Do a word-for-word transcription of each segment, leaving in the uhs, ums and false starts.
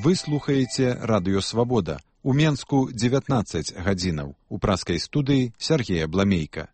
Вы слухаеце радыё Свабода. У Менску дзевятнаццаць гадзінаў. У праскай студыі Сергея Бламейка.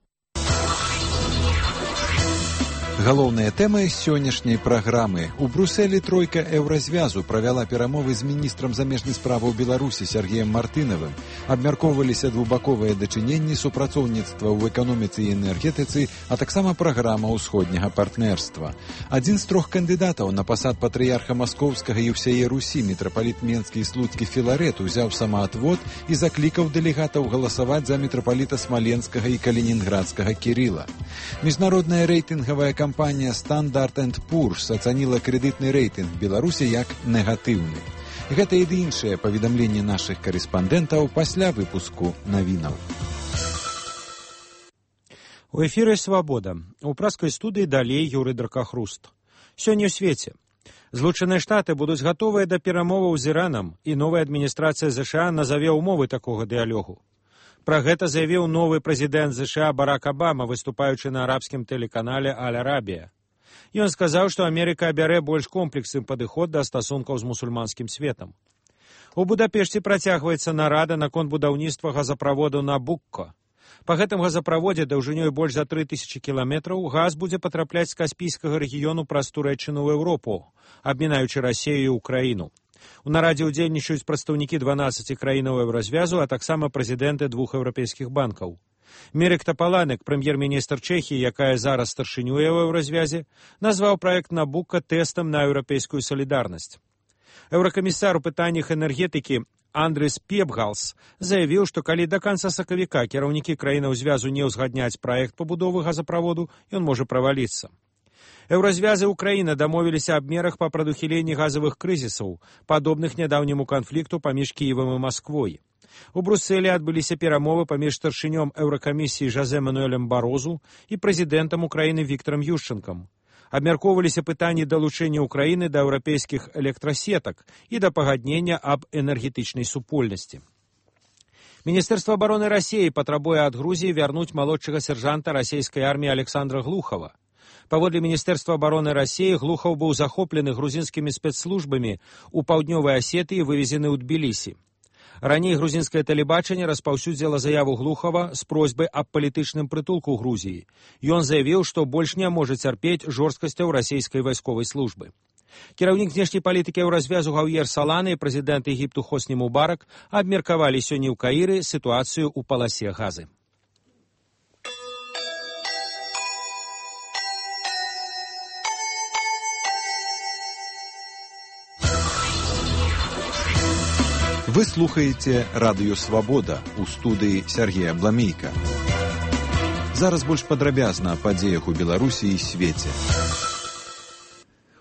Галоўныя тэмы сённяшняй праграмы. У Брусэлі тройка еўразвязу правяла перамовы з міністрам замежных справаў Беларусі Сергеем Мартынавым. Абмяркоўваліся двухбаковыя дачыненні, супрацоўніцтва ў эканоміцы і энергетыцы, а таксама праграма ўсходняга партнерства. Адзін з трох кандыдатаў на пасад патрыярха Маскоўскага і ўсяе Русі, мітрапаліт Менскі і Слуцкі Філарет, узяў самаатвод і заклікаў дэлегатаў галасаваць за мітрапаліта Смаленскага і Калінінградскага Кірыла. Міжнародная рэйтынгавая кампанія Standard энд Poor's ацаніла крэдытны рэйтынг Беларусі як негатыўны. Гэта і іншыя паведамленні нашых карэспандэнтаў пасля выпуску навінаў. У эфіры «Свабода». У праскай студыі далей Юрый Дракахруст. Сёння ў свеце. Злучаныя Штаты будуць гатовыя да перамоваў з Іранам, і новая адміністрацыя ЗША назаве ўмовы такога дыялогу. Пра гэта заявіў новы прэзідэнт ЗША Барак Абама, выступаючы на арабскім тэлеканале «Аль-Арабія». Ён сказаў, што Амерыка абярэ больш комплексны падыход да стасункаў з мусульманскім светам. У Будапешце працягваецца нарада наконт будаўніцтва газаправоду Набукко. Па гэтым газаправодзе даўжынёй больш за тры тысячы кіламетраў газ будзе патрапляць з Каспійскага рэгіёну праз Турэччыну ў Еўропу, абмінаючы Расію і Украіну. У нарадзе ўдзельнічаюць прадстаўнікі дванаццаці краінаў еўразвязу, а таксама прэзідэнты двух еўрапейскіх банкаў. Мірек Тапаланек, прэм'ер-міністр Чэхіі, якая зараз старшынюе ў еўразвязе, назваў праект Набукко тэстам на еўрапейскую салідарнасць. Еўракамісар у пытаннях энергетыкі Андрыс Пебгалс заявіў, што калі да канца сакавіка кіраўнікі краінаў звязу не ўзгадняць праект пабудовы газаправоду, ён можа праваліцца. Еўразвязы Украіны дамовіліся аб мерах па прадухіленні газавых крызісаў, падобных нядаўняму канфлікту паміж Кіевам і Масквой. У Брусэлі адбыліся перамовы паміж старшынём Еўракамісіі Жозе Мануэлем Барозу і прэзідэнтам Украіны Віктарам Ющэнкам. Абмяркоўваліся пытанні далучэння Украіны да еўрапейскіх электрасетак і да пагаднення аб энергетычнай супольнасці. Міністэрства абароны Расіі патрабуе ад Грузіі вярнуць малодшага сержанта расійскай арміі Александра Глухова. Паводле Міністэрства абароны Расіі, Глухаў быў захоплены грузінскімі спецслужбамі ў паўднёвай Асетыі і вывезены ў Тбілісі. Раней грузінскае тэлебачанне распаўсюдзіла заяву Глухава з просьбай аб палітычным прытулку ў Грузіі. Ён заявіў, што больш не можа цярпець жорсткасцяў расійскай вайсковай службы. Кіраўнік знешняй палітыкі еўразвязу Гаўер Салана і прэзідэнт Егіпту Хосні Мубарак абмеркавалі сёння ў Каіры сітуацыю ў паласе Газы. Вы слухаеце радыё Свабода у студыі Сергея Бламейка. Зараз больш падрабязна аб падзеях у Беларусі і свеце.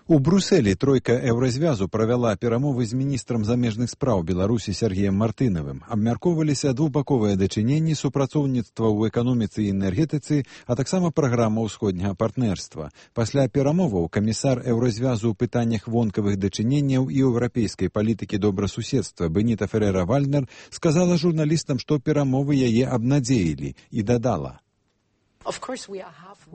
У Брусэлі тройка еўразвязу правяла перамовы з міністрам замежных спраў Беларусі Сергеем Мартынавым. Абмяркоўваліся двухбаковыя дачыненні, супрацоўніцтва ў эканоміцы і энергетыцы, а таксама праграма ўсходняга партнерства. Пасля перамоваў камісар еўразвязу ў пытаннях вонкавых дачыненняў і еўрапейскай палітыкі добрасуседства Беніта Ферера-Вальнер сказала журналістам, што перамовы яе абнадзеілі, і дадала: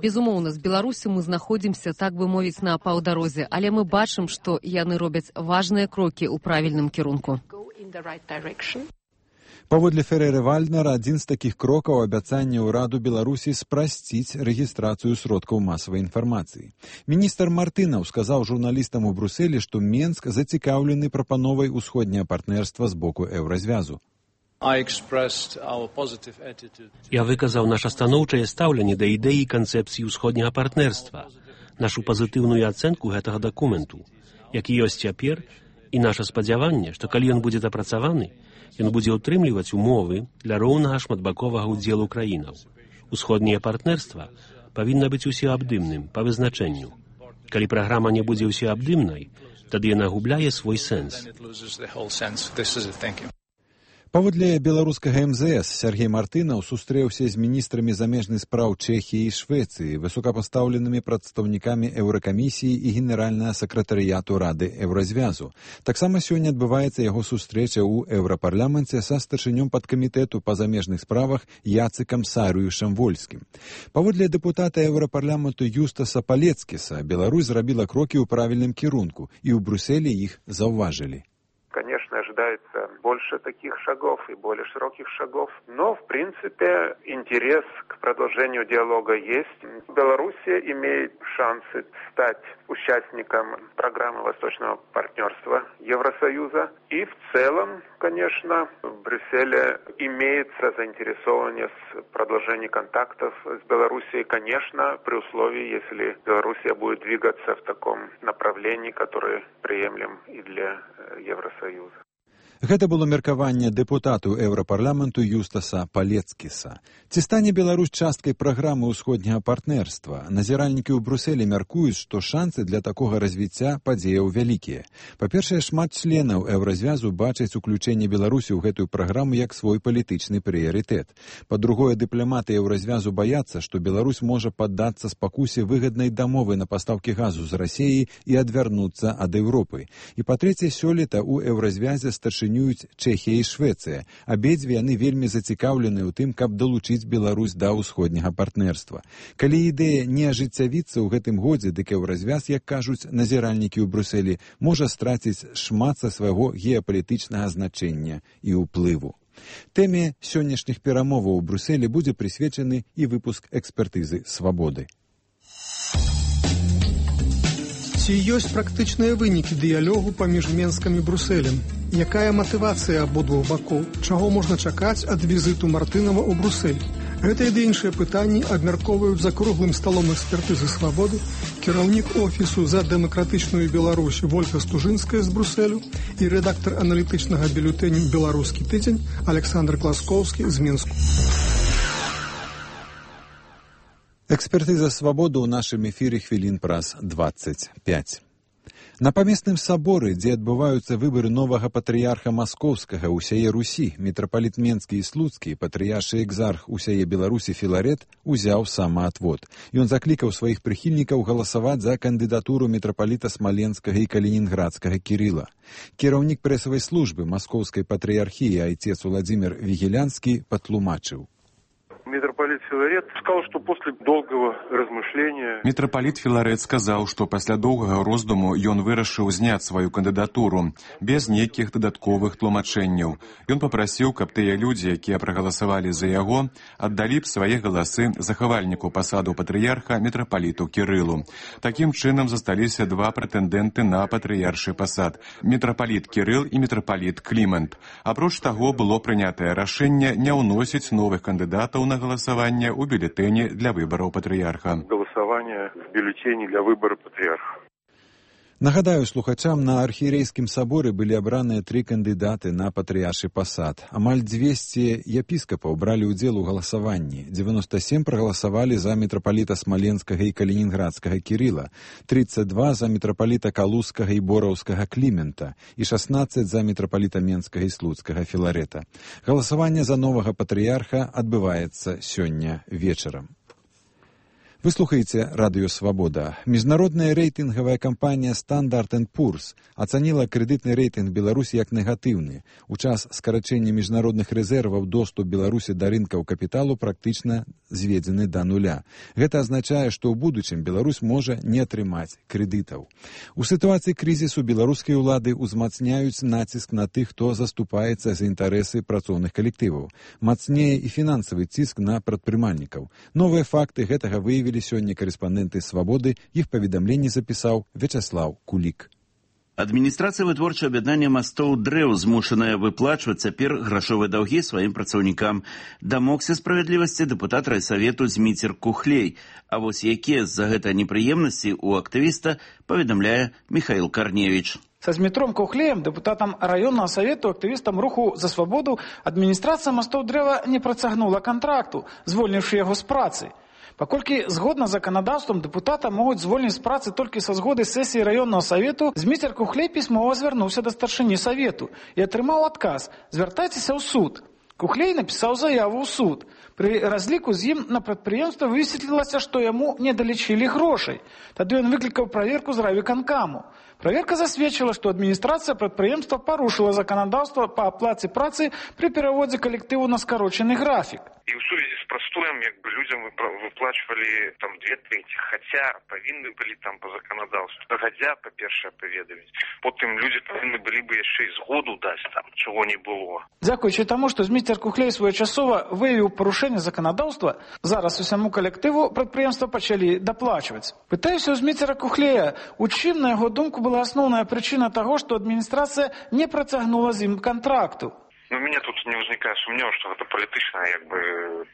Безумоўна, з Беларусі мы знаходзімся, так бы мовіць, на паўдарозе, але мы бачым, што яны робяць важныя крокі ў правільным кірунку. Паводле Фереры-Вальнера, адзін з такіх крокаў абяцанне ўраду Беларусі спрасціць рэгістрацыю сродкаў масавай інфармацыі. Міністр Мартынаў сказаў журналістам у Брусэлі, што Менск зацікаўлены прапановай усходняга партнерства з боку еўразвязу. Я выказаў наша станоўчае стаўленне да ідэі канцэпцыі ўсходняга партнерства, нашу пазітыўную ацэнку гэтага дакументу, які ёсць цяпер, і наша спадзяванне, што калі ён будзе дапрацаваны, ён будзе ўтрымліваць умовы для роўнага шматбаковага ўдзелу краінаў. Усходняе партнерства павінна быць усеабдымным па вызначэнню. Калі праграма не будзе ўсеабдымнай, тады яна губляе свой сэнс. Паводле беларускага эм зэ эс Сергей Мартынаў сустрэўся з міністрамі замежных спраў Чэхіі і Швецыі, высокапастаўленымі прадстаўнікамі Еўракамісіі і генеральнага сакратарыяту Рады Еўразвязу. Таксама сёння адбываецца яго сустрэча ў Еўрапарламенце са старшынём падкамітэту па замежных справах Яцыкам Сарыюшам Вольскім. Паводле дэпутата Еўрапарламенту Юстаса Палецкіса, Беларусь зрабіла крокі ў правільным кірунку, і ў Брусэлі іх заўважылі. больше таких шагов и более широких шагов. Но, в принципе, интерес к продолжению диалога есть. Белоруссия имеет шансы стать участником программы Восточного партнерства Евросоюза. И в целом, конечно, в Брюсселе имеется заинтересованность в продолжении контактов с Белоруссией, конечно, при условии, если Белоруссия будет двигаться в таком направлении, которое приемлем и для Евросоюза. Гэта было меркаванне дэпутату Еўрапарламенту Юстаса Палецкіса. Ці стане Беларусь часткай праграмы ўсходняга партнерства? Назіральнікі ў Брюсселі мяркуюць, што шансы для такога развіцця падзеяў вялікія. Па-першае, шмат членаў Еўразвязу бачаць уключэнне Беларусі ў гэтую праграму як свой палітычны прыярытэт. Па-другое, дыпламаты Еўразвязу баяцца, што Беларусь можа паддацца спакусе выгаднай дамовы на пастаўкі газу з Расіі і адвярнуцца ад Еўропы. І па-трэцяе, сёлета ў Еўразвязе старшыні Чэхія і Швецыя. Абедзве яны вельмі зацікаўлены ў тым, каб далучыць Беларусь да ўсходняга партнерства. Калі ідэя не ажыццявіцца ў гэтым годзе, дык Еўразвяз, як кажуць назіральнікі ў Брюсселі, можа страціць шмат са свайго геапалітычнага значэння і ўплыву. Тэме сённяшніх перамоваў у Брюсселі будзе прысвечаны і выпуск экспертызы «Свабоды». Ці ёсць практычныя вынікі дыялогу паміж Менскам і Брюсселем? Якая матывацыя абодвух бакоў? Чаго можна чакаць ад візіту Мартынова ў Брюссель? Гэтыя ды іншыя пытанні абмяркоўваюць за круглым сталом экспертызы «Свабоды» кіраўнік офісу за дэмакратычную Беларусь Вольга Стужынская з Брюсселю і рэдактар аналітычнага бюлетэня «Беларускі тыдзень» Александр Класкоўскі з Мінску. Экспертыза «Свабоды» ў нашым эфіры хвілін праз дваццаць пяць. На памесным саборы, дзе адбываюцца выбары новага патрыярха маскоўскага ўсяе Русі, мітрапаліт Менскі і Слуцкі, патрыяршы экзарх усяе Беларусі Філарет узяў самаатвод. Ён заклікаў сваіх прыхільнікаў галасаваць за кандыдатуру мітрапаліта Смаленскага і Калінінградскага Кірыла. Кіраўнік прэсавай службы маскоўскай патрыярхіі айцец Владзімір Вігелянскі патлумачыў. Митрополит Филарет сказал, что после долгого размышления... Митрополит Филарет сказал, что после долгого роздуму ён вырашыў зняць свою кандыдатуру без нейкіх дадатковых тлумачэнняў. Ён папрасіў, каб тыя людзі, якія прагаласавалі за яго, аддалі б свае галасы захавальніку пасаду патрыярха митрополиту Кірылу. Такім чынам засталіся два прэтэндэнты на патрыяршы пасад – митрополит Кірыл і митрополит Клімент. Апроч таго, было прынятае рашэнне не ўносіць новых кандыдатаў на голосование у бюллетене для выборов патриарха. Голосование в бюллетене для выбора патриарха. Нагадаю слухачам, на архієрейскім саборы былі абраныя тры кандыдаты на патрыяршы пасад. Амаль дзвесце епіскапаў бралі ўдзел у галасаванні. дзевяноста сем прагаласавалі за мітрапаліта Смаленскага і Калінінградскага Кірыла, тридцать два за мітрапаліта Калузскага і Бораўскага Клімента і шаснаццаць за мітрапаліта Менскага і Слуцкага Філарета. Галасаванне за новага патрыярха адбываецца сёння вечарам. Вы слухаеце радыё «Свабода». Міжнародная рэйтынгавая кампанія «Стандарт энд Пурс» ацаніла крэдытны рэйтынг Беларусі як негатыўны. У час скарачэння міжнародных рэзерваў доступ Беларусі да рынкаў капіталу практычна зведзены да нуля. Гэта азначае, што ў будучым Беларусь можа не атрымаць крэдытаў. У сітуацыі крызісу беларускія ўлады ўзмацняюць націск на тых, хто заступаецца за інтарэсы працоўных калектываў. Мацнее і фінансавы ціск на прадпрымальнікаў. Новыя факты гэтага выявілі сёння корэспандэнты «Свабоды», іх паведамленне запісаў Вячаслаў Кулік. Адміністрацыя вытворчага аб'яднання мастоў «Дрэў» змушаная выплачваць цяпер грашовыя даўгі сваім працаўнікам. Дамогся справядлівасці дэпутат райсавету Зміцер Кухлей. А вось якія з-за гэта непрыемнасці у актывіста, паведамляе Михаил Карневич. Со Змітром Кухлеем, депутатом районного совету, активистом руху «За свободу», адміністрацыя мастоў «Дрэва» не працягнула контракту, звольнивши яго з працы. Паколькі згодна з заканадаўствам дэпутата могуць звольніць з працы толькі са згоды сесіі раённага савету, Зміцер Кухлей пісьмова звярнуўся да старшыні савету і атрымаў адказ: звяртайцеся ў суд. Кухлей напісаў заяву ў суд. Пры разліку з ім на прадпрыемства высветлілася, што яму не далічылі грошай. Тады ён выклікаў праверку з райвыканкаму. Праверка засведчыла, што адміністрацыя прадпрыемства парушыла заканадаўства па аплаце працы пры пераводзе калектыву на скарочаны графік. И в сувязі з простоем як бы людям выплачивали там две трети, хотя повинны были там по законодавству. Хотя, по-перше, поведомить. Потім люди повинні були б ще й згоду дати там, чого не було. Дякуючи тому, що Зміцер Кухлей своєчасово виявив порушення законодавства, зараз усьому колективу підприємства почали доплачувати. Питаюся у Зміцера Кухлея, у чим, на його думку, була основна причина того, що адміністрація не протягнула з ним контракту? Ну, у меня тут не возникает сумніву, що це політичне, якби,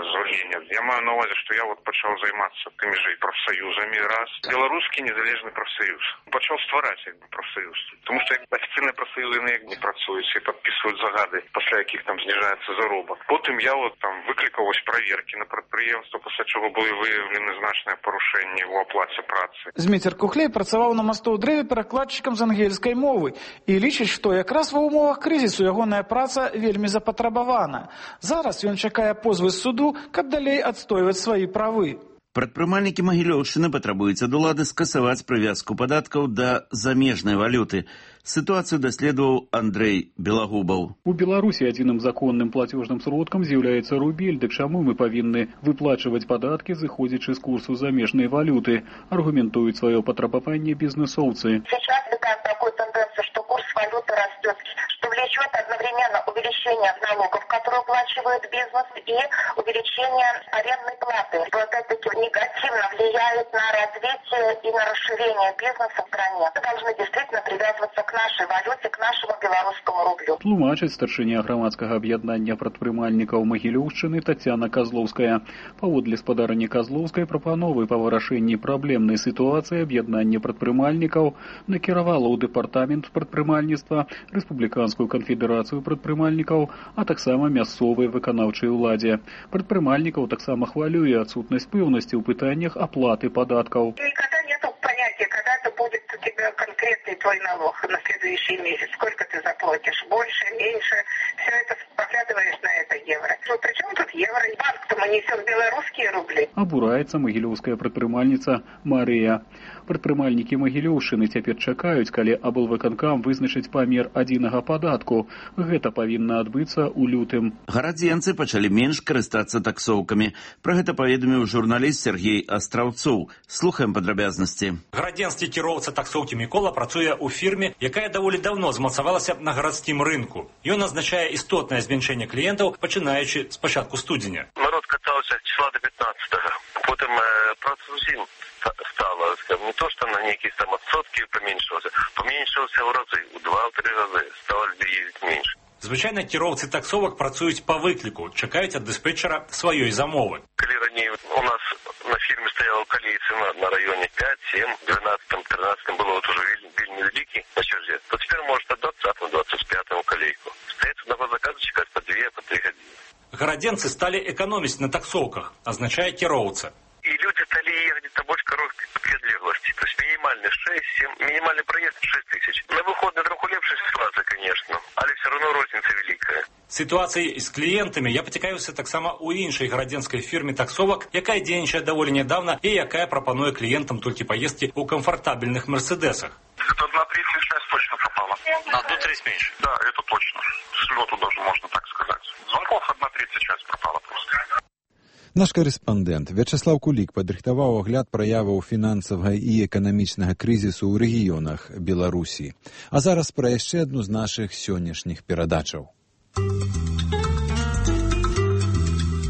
звольнення. Я маю на увазі, що я от почав займатися тими ж профсоюзами, раз. Білоруський незалежний профсоюз. Почав створити, якби, профсоюз. Тому що офіційні профсоюзи не якби працюють і підписують загади, після яких там знижається заробок. Потім я от там викликав ось перевірки на підприємство, після чого були виявлені значні порушення в оплаті праці. Зміцер Кухлей працював на Мостоу-Древі перекладчиком з англійської мови і лічить, що якраз в умовах кризису ягоная праця вельмі запатрабавана. Зараз ён чакае позвы з суду, каб далей адстойваць свае правы. Прадпрымальнікі Магілёўшчыны патрабуюць ад улады скасаваць прывязку падаткаў да замежнай валюты. Ситуацию доследовал Андрей Белогубов. У Беларуси единым законным платежным сродком является рубель, да к чему мы повинны выплачивать податки, заходячи с курсу замежной валюты, аргументуют свое потребование бизнесовцы. Сейчас видим такую тенденцию, что курс валюты растет, что влечет одновременно увеличение налогов, которые уплачивает бизнес, и увеличение арендной платы, что опять-таки негативно влияет на развитие и на расширение бизнеса в стране. Мы должны действительно привязываться к нашей валюте, к нашему белорусскому рублю. Тлумачыць старшыня грамадскага аб'яднання прадпрымальнікаў Магілёўшчыны Тацяна Козловская. Паводле спадарні Козловскай прапановы па вырашэнні праблемнай сітуацыі аб'яднання прадпрымальнікаў накіравала ў дэпартамент прадпрымальніцтва, Рэспубліканскую канфедэрацыю прадпрымальнікаў, а таксама мясцовай выканаўчай уладзе. Прадпрымальнікаў таксама хвалюе адсутнасць пэўнасці ў пытаннях аплаты падаткаў. Никогда нету понятия, когда это будет у тебя конкретный твой налог на следующий месяц, сколько ты заплатишь, больше, меньше, все это поглядываешь на это евро. Ну, при чем тут евро? Банк-то мы несем белорусские рубли. Абураецца магілёўская прадпрымальніца Марыя. Прадпрымальнікі Магілёўшчыны цяпер чакаюць, калі аблвыканкам вызначыць памер адзінага падатку. Гэта павінна адбыцца ў лютым. Гарадзенцы пачалі менш карыстацца таксоўкамі. Пра гэта паведаміў журналіст Сергей Астраўцоў. Слухаем падрабязнасці. Гарадзенскі кіроўца таксоўкі Мікола працуе ў фірме, якая даволі даўно змацавалася на гарадскім рынку. Ён азначае істотнае зменшэнне кліентаў, пачынаючы з пачатку студзеня. Народ катаўся числа до пятнадцатого. Потым э, праца зусім стала, не то, что на некие там отсотки поменьшился, поменьшился в разы, в два-три разы, стало людей ездить меньше. Звычайна кіроўцы таксовак працуюць па выкліку, чакаюць ад дыспетчера сваёй замовы. Калі раней у нас на фірме стаяла калей цена на районе пять, семь, двенадцать, тринадцать было вот уже вельмі вялікі на черзе, то теперь может от двадцатого, двадцать пятого калейку. Стоит одного заказа чекать по две, по три годины. Гарадзенцы сталі эканоміць на таксоўках, азначае кіроўца. И люди стали ехать где-то больше короткой предлеглости. То есть минимальный шесть-семь, минимальный проезд шесть тысяч. На выходные троху лепшая ситуация, конечно, але все равно розница великая. Ситуацией з клієнтамі я пацікавіўся таксама ў іншай гарадзенскай фірме таксовак, якая дзейнічае даволі нядаўна і якая прапануе кліентам толькі паездкі ў камфортабельных мерседесах. Это одна третья часть точно пропала. На одну треть меньше? Да, это точно. С лету даже можно так сказать. Звонков одна третья часть пропала просто. Наш корэспандэнт Вячеслав Кулік падрыхтаваў агляд праяваў фінансавага і эканамічнага крызісу ў рэгіёнах Беларусі. А зараз пра яшчэ адну з нашых сённяшніх перадачаў.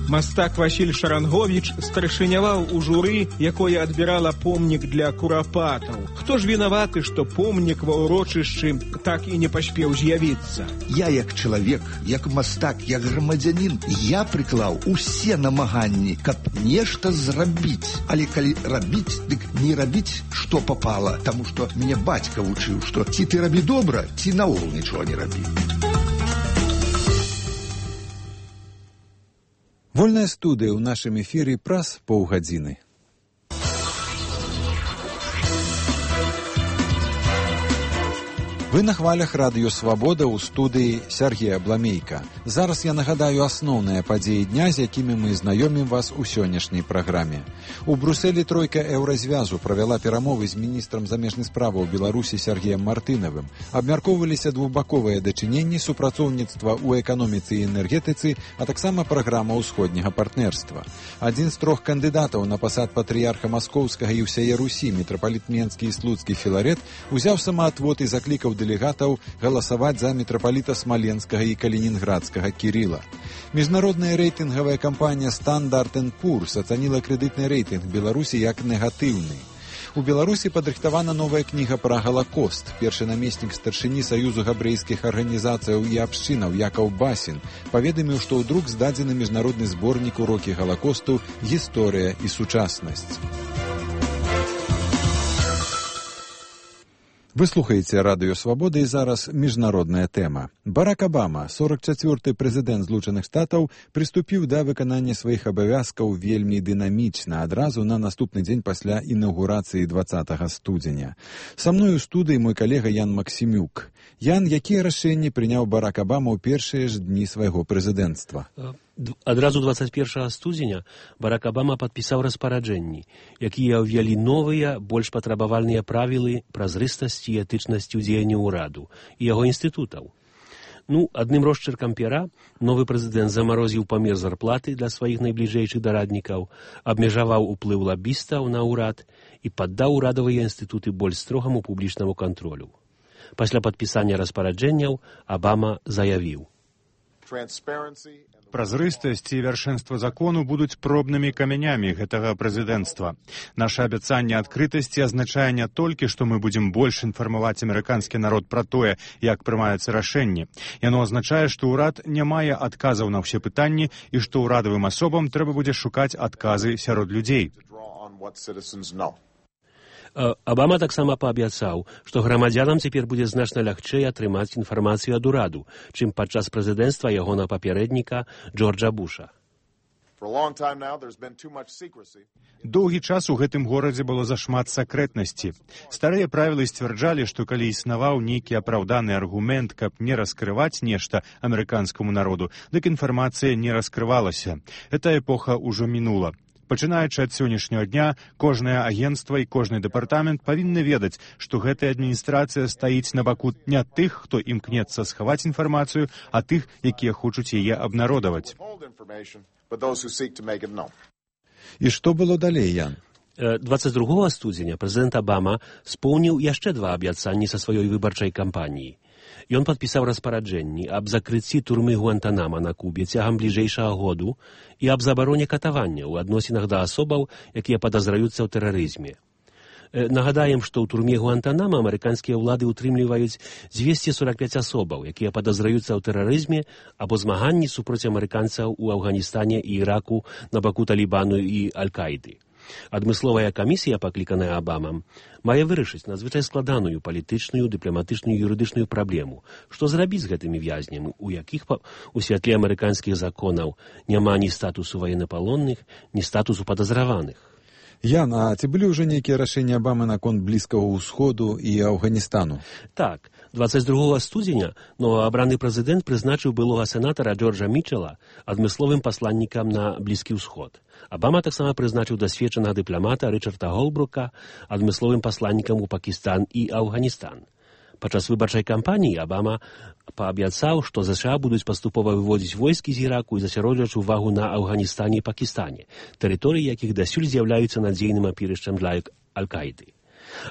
Мастак Васіль Шаранговіч старшыняваў у журы, якое адбірала помнік для курапатаў. Хто ж вінаваты, што помнік ва ўрочышчы так і не паспеў з'явіцца? Я як чалавек, як мастак, як грамадзянін, я прыклаў усе намаганні, каб нешта зрабіць. Але калі рабіць, дык не рабіць, што папала, таму што мяне бацька вучыў, што ці ты рабі добра, ці наогул нічога не рабі. Вольная студыя ў нашым эфіры праз паўгадзіны. Вы на хвалях радыё «Свабода» ў студыі Сергея Бламейка. Зараз я нагадаю асноўныя падзеі дня, з якімі мы знаёмім вас у сённяшняй праграме. У Брусэлі тройка еўразвязу правяла перамовы з міністрам замежных справаў Беларусі Сергеем Мартынавым. Абмяркоўваліся двухбаковыя дачыненні, супрацоўніцтва ў эканоміцы і энергетыцы, а таксама праграма ўсходняга партнерства. Адзін з трох кандыдатаў на пасад патрыярха Маскоўскага і ўсяе Русі, мітрапаліт Менскі і Слуцкі Філарет, узяў самаатвод і заклікаў дэлегатаў галасаваць за мітрапаліта Смаленскага і Калінінградскага Кірыла. Міжнародная рэйтынгавая кампанія Standard энд Poor's ацаніла крэдытны рэйтынг Беларусі як негатыўны. У Беларусі падрыхтавана новая кніга пра Галакост. Першы намеснік старшыні Саюзу габрэйскіх арганізацыяў і абшчынаў Якаў Басін паведаміў, што ў друк здадзены міжнародны зборнік урокі Галакосту «Гісторыя і сучаснасць». Вы слухаеце радыё «Свабода» і зараз міжнародная тэма. Барак Абама, сорок чацвёрты прэзідэнт Злучаных Штатаў, прыступіў да выканання сваіх абавязкаў вельмі дынамічна, адразу на наступны дзень пасля інаўгурацыі дваццатага студзеня. Са мной у студыі мой калега Ян Максімюк. Ян, якія рашэнні прыняў Барак Абама ў першыя ж дні свайго прэзідэнцтва? Адразу двадцать першага студзеня Барак Абама падпісаў распараджэнні, якія ўвялі новыя, больш патрабавальныя правілы празрыстасці і этычнасці ў дзеянні ўраду і яго інстытутаў. Ну, адным росчыркам пера новы прэзідэнт замарозіў памер зарплаты для сваіх найбліжэйшых дараднікаў, абмежаваў уплыў лабістаў на ўрад і паддаў урадавыя інстытуты больш строгаму публічнаму кантролю. Пасля падпісання распараджэнняў Абама заявіў: Празрыстасць і вяршэнства закону будуць пробнымі камянямі гэтага прэзідэнцтва. Наша абяцанне адкрытасці азначае не толькі, што мы будзем больш інфармаваць амерыканскі народ пра тое, як прымаюцца рашэнні. Яно азначае, што ўрад не мае адказаў на ўсе пытанні і што ўрадавым асобам трэба будзе шукаць адказы сярод людзей. Абама таксама паабяцаў, што грамадзянам цяпер будзе значна лягчэй атрымаць інфармацыю ад ураду, чым падчас прэзідэнцтва ягонага папярэдніка Джорджа Буша. Доўгі час у гэтым горадзе было зашмат сакрэтнасці. Старыя правілы сцвярджалі, што калі існаваў нейкі апраўданы аргумент, каб не раскрываць нешта амерыканскаму народу, дык інфармацыя не раскрывалася. Эта эпоха ўжо мінула. Пачынаючы ад сённяшняга дня, кожнае агенцтва і кожны дэпартамент павінны ведаць, што гэтая адміністрацыя стаіць на баку не тых, хто імкнецца схаваць інфармацыю, а тых, якія хочуць яе абнародаваць. І што было далей, Ян? двадцать другога студзеня прэзідэнт Абама споўніў яшчэ два абяцанні са сваёй выбарчай кампаніі. Ён падпісаў распараджэнні аб закрыцці турмы Гуантанама на Кубе цягам бліжэйшага году і аб забароне катавання ў адносінах да асобаў, якія падазраюцца ў тэрарызме. Нагадаем, што ў турме Гуантанама амерыканскія ўлады ўтрымліваюць дзвесце сорок пяць асобаў, якія падазраюцца ў тэрарызме або змаганні супроць амерыканцаў у Афганістане і Іраку на баку Талібану і Аль-Каіды. Адмысловая камісія, пакліканая Абамам, мае вырашыць надзвычай складаную палітычную, дыпламатычную і юрыдычную праблему. Што зрабіць з гэтымі вязнямі, у якіх у святле амерыканскіх законаў няма ні статусу военнапалонных, ні статусу падазраваных. Ян, а ці былі ўжо нейкія рашэнні Абамы наконт Блізкага ўсходу і Афганістану? Так, двадцать другога студзеня новаабраны прэзідэнт прызначыў былога сенатара Джорджа Мітчела адмысловым пасланнікам на Блізкі ўсход. Абама таксама прызначыў дасведчанага дыпламата Рычарда Голбрука адмысловым пасланнікам у Пакістан і Афганістан. Падчас выбарчай кампаніі Абама паабяцаў, што ЗША будуць паступова выводзіць войскі з Іраку і засяродзіць увагу на Афганістане і Пакістане, тэрыторыі якіх дасюль з'яўляюцца надзейным апірышчам для Аль-Каіды.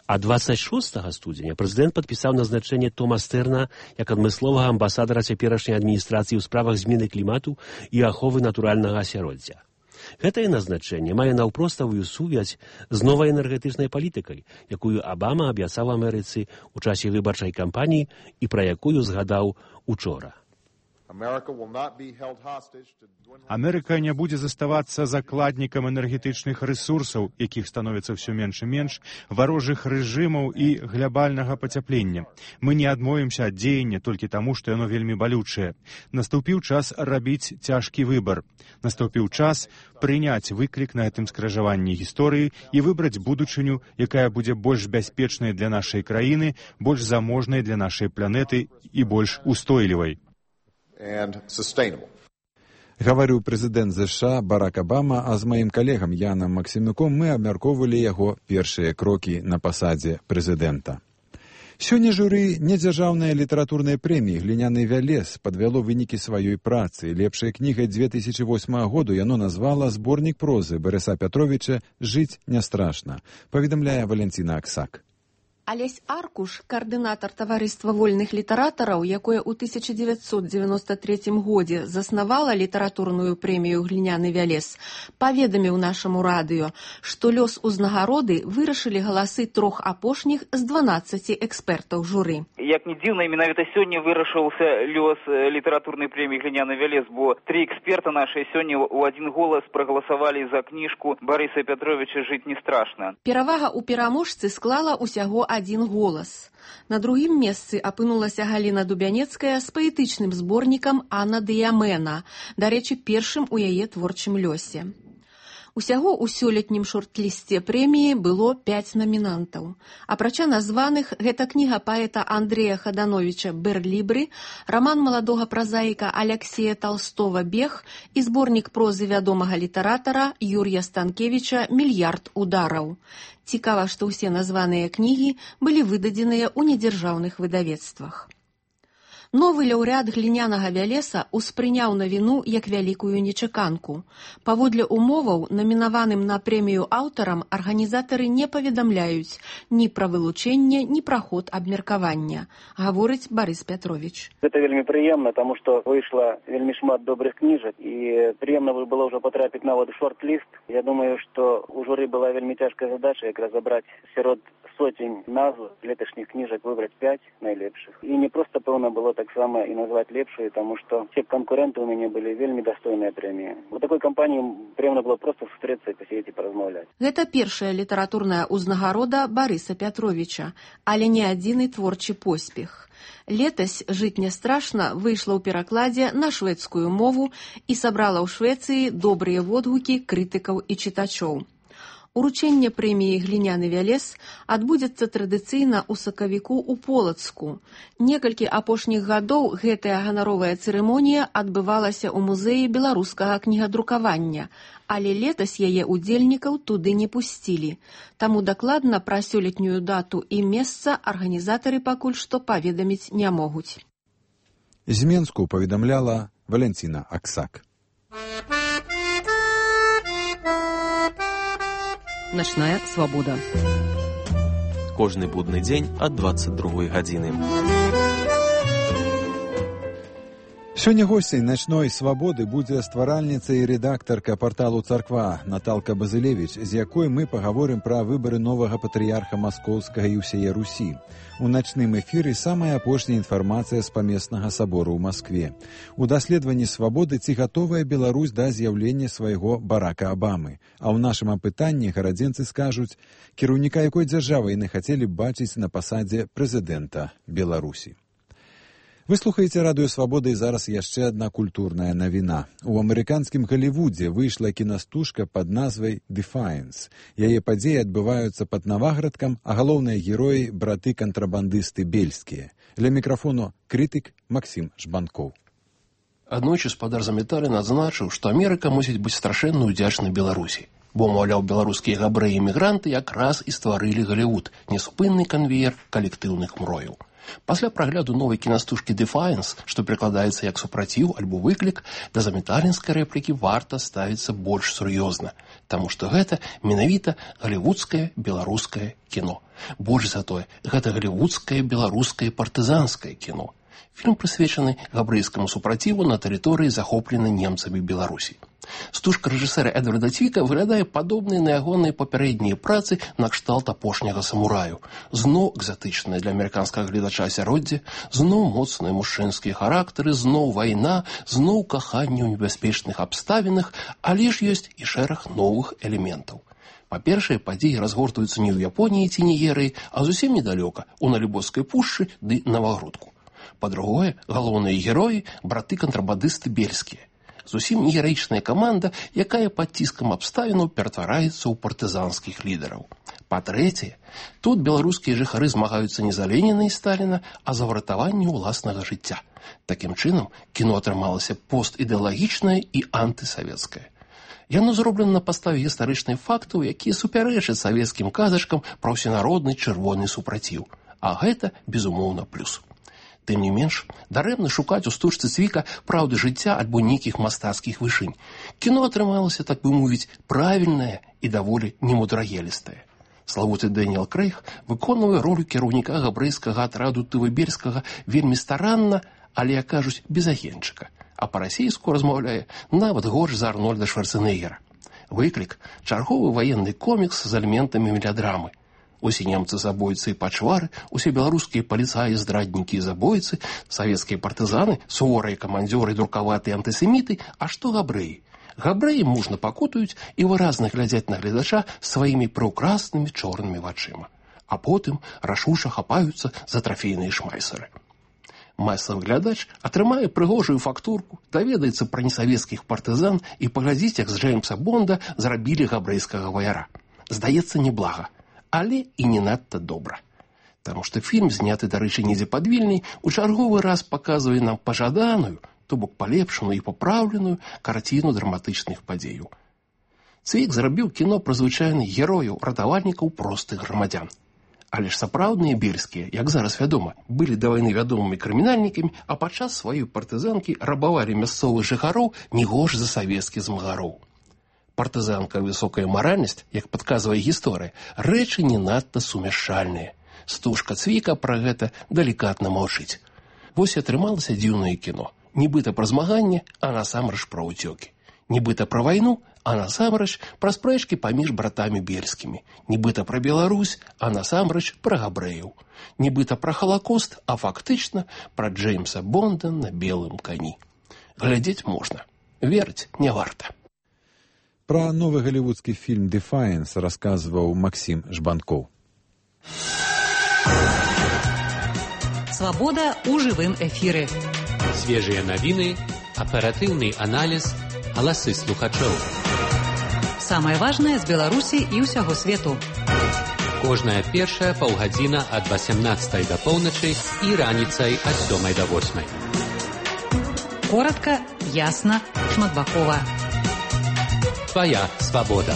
А двадцать шостага студзеня прэзідэнт падпісаў назначэнне Тома Стэрна як адмысловага амбасадара цяперашняй адміністрацыі ў справах змены клімату і аховы натуральнага асяроддзя. Гэтае назначэнне мае наўпроставую сувязь з новай энергетычнай палітыкай, якую Абама абяцаў Амерыцы ў часе выбарчай кампаніі і пра якую згадаў учора. Амерыка не будзе заставацца закладнікам энергетычных рэсурсаў, якіх становіцца ўсё менш і менш, варожых рэжымаў і глобальнага пацяплення. Мы не адмовімся ад дзеяння толькі таму, што яно вельмі балючае. Наступіў час рабіць цяжкі выбар. Наступіў час прыняць выклік на гэтым скражаванні гісторыі і выбраць будучыню, якая будзе больш бяспечнай для нашай краіны, больш заможнай для нашай планеты і больш устойлівай. Гаварыў прэзідэнт ЗША Барак Абама, а з маім калегам Янам Максімюком мы абмяркоўвалі яго першыя крокі на пасадзе прэзідэнта. Сёння журы недзяржаўнай літаратурнай прэміі «Гліняны вялес» падвяло вынікі сваёй працы. Лепшай кнігай две тысячи восьмага году яно назвала зборнік прозы Барыса Пятровіча «Жыць не страшна», паведамляе Валянціна Аксак. Алесь Аркуш, каардынатар таварыства вольных літаратараў, якое ў тысяча дзевяцьсот дзевяноста трэцім годзе заснавала літаратурную прэмію «Гліняны вялес», паведаміў нашаму радыё, што лёс узнагароды вырашылі галасы трох апошніх з дванаццаці экспертаў журы. Як не дзіўна, менавіта сёння вырашыўся лёс літаратурнай прэміі «Гліняны вялес», бо тры эксперта нашыя сёння ў адзін голас прагаласавалі за кніжку Барыса Пятровіча «Жыць не страшна». Перавага ў пераможцы склала ўсяго адзін голас. На другім месцы апынулася Галіна Дубянецкая з паэтычным зборнікам «Анна Дыямена», дарэчы, першым у яе творчым лёсе. Усяго ў сёлетнім шорт-лісце прэміі было пяць намінантаў. Апрача названых, гэта кніга паэта Андрэя Хадановіча «Берлібры», раман маладога празаіка Аляксея Талстова «Бег» і зборнік прозы вядомага літаратара Юрія Станкевіча «Мільярд удараў». Цікава, што ўсе названыя кнігі былі выдадзеныя ў недзяржаўных выдавецтвах. Новы лаўрэат «Глінянага вялеса» успрыняў навіну як вялікую нечаканку. Паводле умоваў, намінаваным на прэмію аўтарам, арганізатары не паведамляюць ні пра вылучэнне, ні пра ход абмеркавання, гаворыць Барыс Пятровіч. Гэта вельмі прыемна, таму што выйшла вельмі шмат добрых кніжак, і прыемна было ўжо патрапіць нават у шорт-ліст. Я думаю, што у журы была вельмі цяжкая задача як разабраць сярод сотень назв леташніх кніжак, выбраць пяць найлепшых. І не проста, пэўна, было таксама і назваць лепшую, таму што все канкуренты ў мяне былі вельмі дастойныя прэміі. У такой кампаніі прыемна было проста сустрэцца і пасядзець і паразмаўляць. Гэта першая літаратурная ўзнагарода Барыса Пятровіча, але не адзіны творчы поспех. Летась «Жыць не страшна» выйшла ў перакладзе на шведскую мову і сабрала ў Швецыі добрыя водгукі крытыкаў і чытачоў. Уручэнне прэміі «Гліняны вялес» адбудзецца традыцыйна ў сакавіку ў Полацку. Некалькі апошніх гадоў гэтая ганаровая цырымонія адбывалася ў музеі беларускага кнігадрукавання, але летась яе удзельнікаў туды не пусцілі. Таму дакладна пра сёлетнюю дату і месца арганізатары пакуль што паведаміць не могуць. З Менску паведамляла Валянціна Аксак. Начная свабода. Кожны будны дзень ад дваццаць другой гадзіны. Сёння госцей начной свабоды будзе стваральніца і рэдактарка парталу «Царква» Наталка Базылевіч, з якой мы пагаворым пра выбары новага патрыярха Маскоўскага і ўсяе Русі. У начным эфіры самая апошняя інфармацыя з памеснага сабору ў Маскве. У даследаванні свабоды ці гатовая Беларусь да з'яўлення свайго Барака Абамы. А ў нашым апытанні гарадзенцы скажуць, кіраўніка якой дзяржавы яны хацелі б бачыць на пасадзе прэзідэнта Беларусі. Вы слухаеце радыё «Свабода» і зараз яшчэ адна культурная навіна. У амерыканскім Галівудзе выйшла кінастужка пад назвай «Defiance». Яе падзеі адбываюцца пад Наваградкам, а галоўныя героі – браты-кантрабандысты бельскія. Ля мікрафону крытык Максім Жбанкоў. Аднойчы спадар Заметалі назначыў, што Амерыка мусіць быць страшэнна ўдзячнай Беларусі. Бо, маўляў, беларускія габрэі-эмігранты якраз і стварылі Галівуд – неспынны канвеер калектыўных мрояў. Пасля прагляду новай кінастужкі «Defiance», што перакладаецца як «супраціў» альбо «выклік», да заметалінскай рэплікі варта ставіцца больш сур'ёзна, таму што гэта менавіта галівудскае беларускае кіно. Больш за тое, гэта галівудскае беларускае партызанскае кіно. Фільм прысвечаны габрэйскаму супраціву на тэрыторыі, захопленай немцамі Беларусі. Стужка рэжысэра Эдварда Цвіка выглядае падобнай на ягоныя папярэднія працы на кшталт апошняга самураю. Зноў экзатычнае для амерыканскага гледача асяроддзе, зноў моцныя мужчынскія характары, зноў вайна, зноў каханне ў небяспечных абставінах, але ж ёсць і шэраг новых элементаў. Па-першае, падзеі разгортваюцца не ў Японіі ці Нігерыі, а зусім недалёка, у Налібоцкай пушчы ды Навагрудку. Па-другое, галоўныя героі – браты-кантрабандысты бельскія. Зусім не гераічная каманда, якая пад ціскам абставінаў ператвараецца ў партызанскіх лідараў. Па-трэцяе, тут беларускія жыхары змагаюцца не за Леніна і Сталіна, а за выратаванне ўласнага жыцця. Такім чынам, кіно атрымалася постідэалагічнае і антысавецкае. Яно зроблена на падставе гістарычных фактаў, якія супярэчаць савецкім казачкам пра ўсенародны чырвоны супраціў. А гэта, безумоўна, плюс. Тым не менш, дарэмна шукаць у стужцы Цвіка праўды жыцця альбо нейкіх мастацкіх вышынь. Кіно атрымалася, так бы мовіць, правільнае і даволі немудрагелістае. Славуты Дэніел Крэйг выконвае ролю кіраўніка габрэйскага атраду Тывыберскага вельмі старанна, але, як кажуць, без агенчыка, а па-расейску размаўляе нават горш за Арнольда Шварцэнеггера. Выклік – чарговы ваенны комікс з элементамі мелядрамы. Усе немцы забойцы і пачвары, усе беларускія паліцаі, здраднікі і забойцы, савецкія партызаны, суворыя камандзёры, друкаватыя антысеміты, а што габрэі? Габрэі мужна пакутаюць і выразна глядзяць на гледача сваімі прыўкраснымі чорнымі вачыма, а потым рашуша хапаюцца за трафейныя шмайсеры. Масавы глядач атрымае прыгожую фактурку, даведаецца пра несавецкіх партызан і паглядзіць, як з Джеймса Бонда зрабілі габрэйскага ваяра. Здаецца, неблага. Але і не надта добра. Таму што фільм, зняты, дарэчы, недзе пад Вільняй, у чарговы раз паказвае нам пажаданую, то бок палепшаную і папраўленую карціну драматычных падзеяў. Цвік зрабіў кіно пра звычайных герояў, ратавальнікаў простых грамадзян. Але ж сапраўдныя бельскія, як зараз вядома, былі да вайны вядомымі крымінальнікамі, а падчас сваёй партызанкі рабавалі мясцовых жыхароў не горш за савецкіх змагароў. Партызанка высокая маральнасць, як падказвае гісторыя, рэчы не надта сумяшчальныя. Стужка Цвіка пра гэта далікатна маўчыць. Вось і атрымалася дзіўнае кіно. Нібыта пра змаганне, а насамрэч пра ўцёкі. Нібыта пра вайну, а насамрэч пра спрэчкі паміж братамі бельскімі. Нібыта пра Беларусь, а насамрэч пра габрэяў. Нібыта пра Халакост, а фактычна пра Джеймса Бонда на белым кані. Глядзець можна. Верыць не варта. Пра новы галівудскі фільм «Дефайнс» расказваў Максім Жбанкоў. Свабода ў жывым эфіры. Свежыя навіны, аператыўны аналіз, галасы слухачоў. Самае важнае з Беларусі і ўсяго свету. Кожная першая паўгадзіна ад васямнаццатай да поўначы і раніцай ад сёмай да восьмай. Коратка, ясна, шматбакова. Твоя свабода.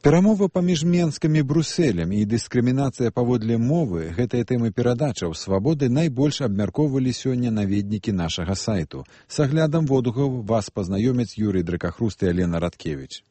Перамова паміж Менскам і Брусэлем і дыскрымінацыя паводле мовы – гэтыя тэмы перадачаў «Свабоды» найбольш абмяркоўвалі сёння наведнікі нашага сайту. С аглядам водгукаў вас пазнаёмяць Юрый Дракахруст і Алена Радкевіч.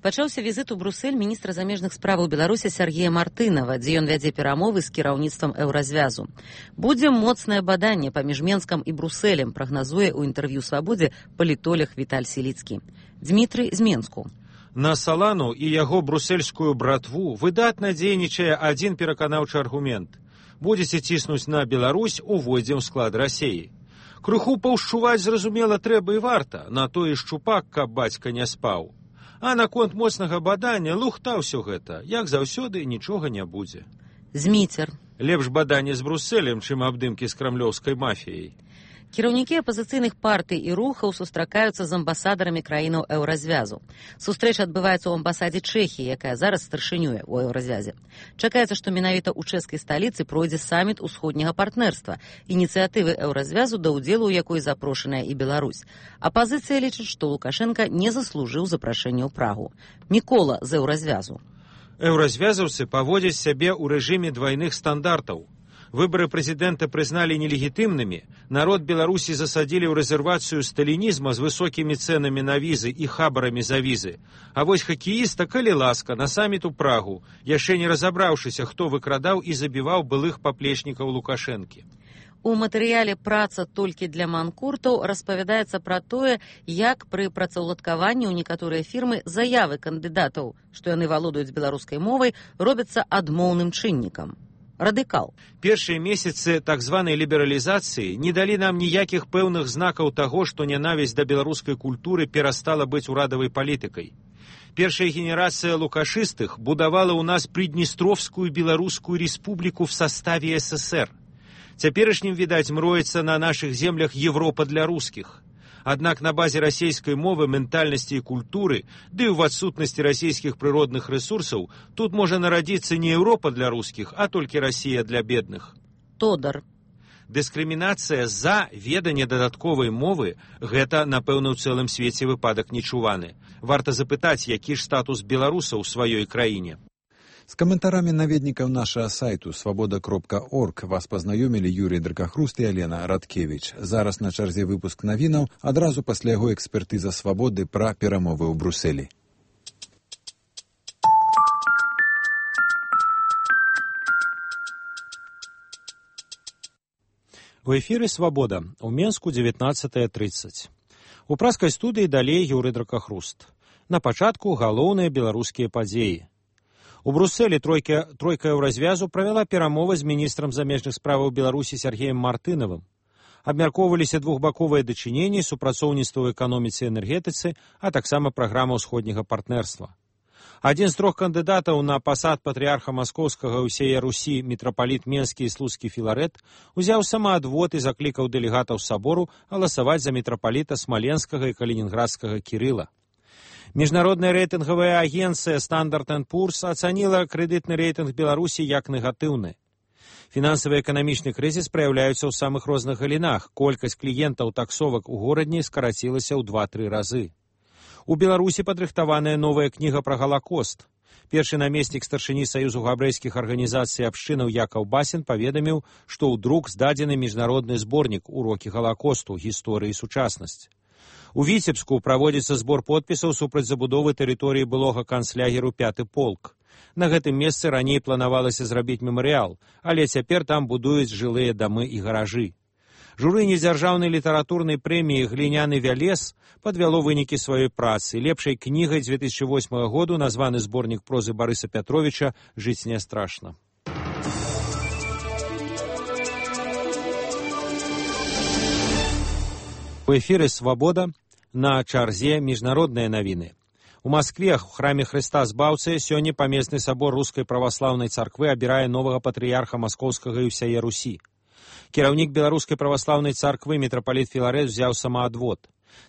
Пачаўся візіт у Брусэль міністра замежных справаў Беларусі Сергея Мартынова, дзе ён вядзе перамовы з кіраўніцтвам Еўразвязу. Будзе моцнае баданне паміж Менскам і Брусэлем, прагназуе ў інтэрв'ю «Свабодзе» палітолог Віталь Сіліцкі. Дмітрый з Менску. На Салану і яго брусельскую братву выдатна дзейнічае адзін пераканаўчы аргумент. Будзеце ціснуць на Беларусь, увойдзем у склад Расеі. Крыху паўшчуваць, зразумела, трэба і варта, на тое шчупак, каб бацька не спаў. А наконт моцнага бадання лухта ўсё гэта, як заўсёды, нічога не будзе. Зміцер. Лепш баданне з Брусэлем, чым абдымкі з крамлёўскай мафіяй. Кіраўнікі апазіцыйных партый і рухаў сустракаюцца з амбасадарамі краінаў Еўразвязу. Сустрэча адбываецца ў амбасадзе Чэхіі, якая зараз старшынюе ў Еўразвязе. Чакаецца, што менавіта ў чэшскай сталіцы пройдзе саміт усходняга партнерства, ініцыятывы Еўразвязу, да ўдзелу ў якой запрошаная і Беларусь. Апазіцыя лічыць, што Лукашенка не заслужыў запрашэння ў Прагу. Мікола з Еўразвязу. Еўразвязаўцы паводзяць сябе ў рэжыме двайных стандартаў. Выборы президента признали нелегитимными, народ Беларуси засадили в резервацию сталинизма с высокими ценами на визы и хабарами за визы. А вось хоккеиста калі ласка на саммит у Прагу, яшчэ не разобравшийся, кто выкрадаў и забивал былых поплечников Лукашенки. У матэрыяле «Праца толькі для манкуртаў» распавядаецца пра тое, як пры працаўладкаванні ў некаторыя фірмы заявы кандыдатаў, што яны валодаюць беларускай мовай, робяцца адмоўным чыннікам. Радыкал. Першыя месяцы так званай лібералізацыі не далі нам ніякіх пэўных знакаў таго, што нянавісць да беларускай культуры перастала быць урадавай палітыкай. Першая генерация лукашыстых будавала ў нас Приднестровскую беларускую республику в составе СССР. Цяперашнім, відаць, мроецца на нашых землях Европа для русскіх. Аднак на базе расійскай мовы, ментальнасці і культуры, ды і ў адсутнасці расійскіх прыродных рэсурсаў, тут можа нарадзіцца не Европа для русскіх, а толькі Расія для бедных. Тодар. Дыскрымінацыя за веданне дадатковай мовы – гэта, напэўна, ў цэлым свеце выпадак нечуваны. Варта запытаць, які ж статус беларусаў у сваёй краіне. З каментарамі наведнікаў нашага сайту свабода кропка орг вас пазнаёмілі Юрій Дракахруст і Алена Радкевіч. Зараз на чарзе выпуск навінаў, адразу пасля яго экспертыза свабоды пра перамовы ў Брусэлі. У эфіры «Свабода» у Менску дзевятнаццатая трыццаць. У праскай студыі далей Юрый Дракахруст. На пачатку галоўныя беларускія падзеі. У Брусэлі тройка, тройка еўразвязу правяла перамовы з міністрам замежных справаў Беларусі Сергеем Мартынавым. Абмяркоўваліся двухбаковыя дачыненні, супрацоўніцтва ў эканоміцы і энергетыцы, а таксама праграма ўсходняга партнерства. Адзін з трох кандыдатаў на пасад патрыарха маскоўскага ўсея Русі мітрапаліт Менскі і Слуцкі Філарэт узяў самаадвод і заклікаў дэлегатаў сабору галасаваць за мітрапаліта Смаленскага і Калінінградскага Кірыла. Міжнародная рэйтынгавая агенцыя Standard энд Poor's ацаніла крэдытны рэйтынг Беларусі як негатыўны. Фінансава-эканамічны крызіс праяўляецца ў самых розных галінах. Колькасць кліентаў таксовак у горадні скарацілася ў два-тры разы. У Беларусі падрыхтаваная новая кніга пра Галакост. Першы намеснік старшыні Саюзу габрэйскіх арганізацый абшчынаў Якаў Басін паведаміў, што ў друк здадзены міжнародны зборнік «Урокі Галакосту. Гісторыі і сучаснасць». У Віцебску праводзіцца збор подпісаў супраць забудовы тэрыторыі былога канцлягеру пяты полк. На гэтым месцы раней планавалася зрабіць мемарыял, але цяпер там будуюць жылыя дамы і гаражы. Журы недзяржаўнай літаратурнай прэміі «Гліняны вялес» падвяло вынікі сваёй працы. Лепшай кнігай дзве тысячы восьмага году названы зборнік прозы Барыса Пятровіча «Жыць не страшна». У эфіры «Свабода» на чарзе міжнародныя навіны. У Маскве, у храме Хрыста Збаўцы, сёння памесны сабор Рускай праваслаўнай царквы абірае новага патрыярха Маскоўскага і ўсяе Русі. Кіраўнік беларускай праваслаўнай царквы мітрапаліт Філарэт узяў самаадвод.